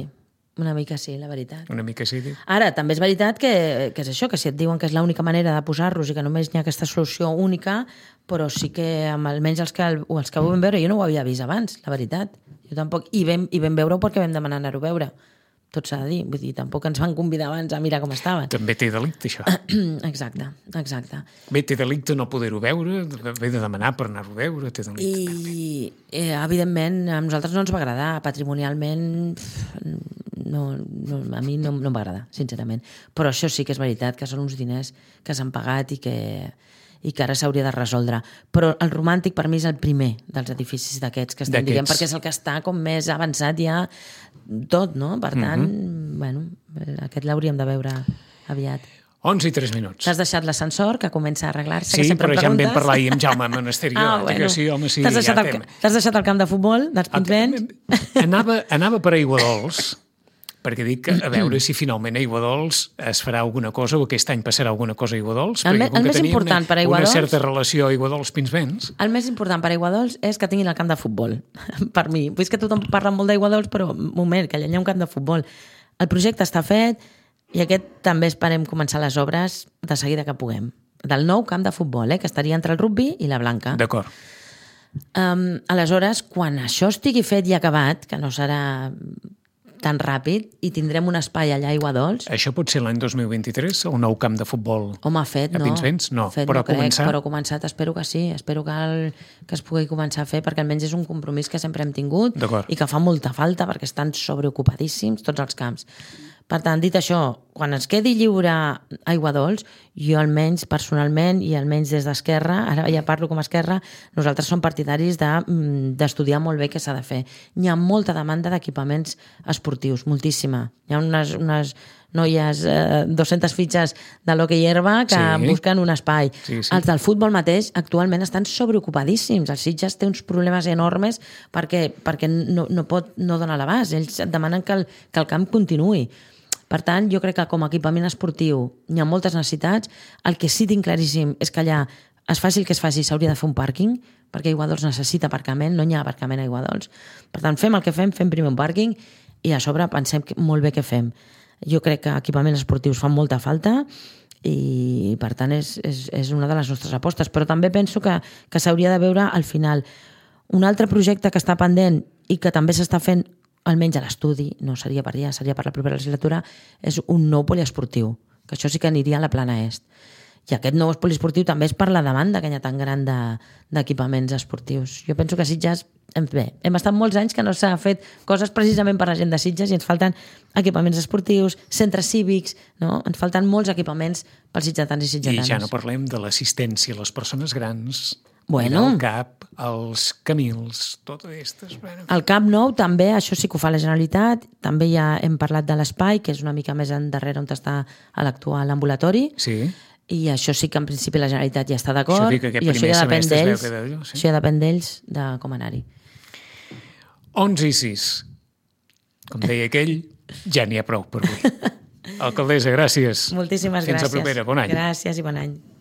una mica sí, la veritat. Una mica sí. Diu. Ara, també és veritat que, que és això, que si et diuen que és l'única manera de posar-los i que només hi ha aquesta solució única, però sí que amb almenys els que, els que ho vam veure, jo no ho havia vist abans, la veritat. Jo tampoc, i vam, i vam veure-ho perquè vam demanar anar-ho a veure. Tot s'ha de dir, vull dir, tampoc ens van convidar abans a mirar com estaven. També té delicte, això. Exacte, exacte. Bé, té delicte no poder-ho veure, bé de demanar per anar-ho a veure, té delicte. I, eh, evidentment, a nosaltres no ens va agradar, patrimonialment, no, no, a mi no, no em va agradar, sincerament. Però això sí que és veritat, que són uns diners que s'han pagat i que, i que ara s'hauria de resoldre. Però el Romàntic per mi és el primer dels edificis d'aquests que estem dient, perquè és el que està com més avançat ja tot, no? Per tant, uh-huh. bueno, aquest l'hauríem de veure aviat. onze i tres minuts. T'has deixat l'ascensor, que comença a arreglar-se, sí, que sempre però em ja em preguntes. vam parlar ahir amb Jaume Monasteri. Ah, bueno. Sí, home, sí, T'has deixat, ja el, t'has deixat el camp de futbol dels Pinsbens? Anava, anava per Aiguadols, perquè dic que a veure si finalment a Aiguadols es farà alguna cosa o aquest any passarà alguna cosa a Aiguadols. El, me, el més important per a Aiguadols... Una certa relació a Aiguadols-Pinsbens. El més important per a Aiguadols és que tinguin el camp de futbol, per mi. Vull que tothom parla molt d'Aiguadols, però un moment, que allà hi ha un camp de futbol. El projecte està fet i aquest també esperem començar les obres de seguida que puguem. Del nou camp de futbol, eh, que estaria entre el rugby i la blanca. D'acord. Um, aleshores, quan això estigui fet i acabat, que no serà tan ràpid, i tindrem un espai allà a Aiguadols... Això pot ser l'any dos mil vint-i-tres, un nou camp de futbol. Home, fet, a no. Pinsbens? No, fet, però no crec, començar... però començat espero que sí. Espero que, el, que es pugui començar a fer, perquè almenys és un compromís que sempre hem tingut i que fa molta falta, perquè estan sobreocupadíssims tots els camps. Per tant, dit això, quan es quedi lliure Aiguadols, jo almenys personalment i almenys des d'Esquerra, ara ja parlo com a Esquerra, nosaltres som partidaris de, d'estudiar molt bé què s'ha de fer. Hi ha molta demanda d'equipaments esportius, moltíssima. Hi ha unes, unes noies, eh, dues-centes fitxes de l'hoquei herba que sí. busquen un espai. Sí, sí. Els del futbol mateix actualment estan sobreocupadíssims. El Sitges té uns problemes enormes perquè, perquè no, no pot no donar l'abast. Ells demanen que el, que el camp continuï. Per tant, jo crec que com a equipament esportiu hi ha moltes necessitats. El que sí tinc claríssim és que allà es faci el que es faci, s'hauria de fer un pàrquing, perquè Aiguadols necessita aparcament, no hi ha aparcament a Aiguadols. Per tant, fem el que fem, fem primer un pàrquing i a sobre pensem molt bé què fem. Jo crec que equipaments esportius fan molta falta i per tant és, és, és una de les nostres apostes, però també penso que, que s'hauria de veure al final un altre projecte que està pendent i que també s'està fent almenys a l'estudi, no seria per allà, seria per la propera legislatura, és un nou poliesportiu, que això sí que aniria a la plana est. I aquest nou poliesportiu també és per la demanda que hi ha tan gran d'equipaments esportius. Jo penso que Sitges, bé, hem estat molts anys que no s'ha fet coses precisament per la gent de Sitges i ens falten equipaments esportius, centres cívics, no? Ens falten molts equipaments pels sitgetans i sitgetanes. I ja no parlem de l'assistència a les persones grans, bueno, el CAP, els Camils, tot aquestes. Bueno. El Camp Nou també, això sí que ho fa la Generalitat, també ja hem parlat de l'espai, que és una mica més endarrere on està l'actual ambulatori, sí. I això sí que en principi la Generalitat ja està d'acord, i això ja depèn d'ells, sí. això ja depèn d'ells de com anar-hi. onze i sis. Com deia aquell, ja n'hi ha prou per avui. Alcaldessa, gràcies. Moltíssimes Fins gràcies. Fins la propera, bon any. Gràcies i bon any.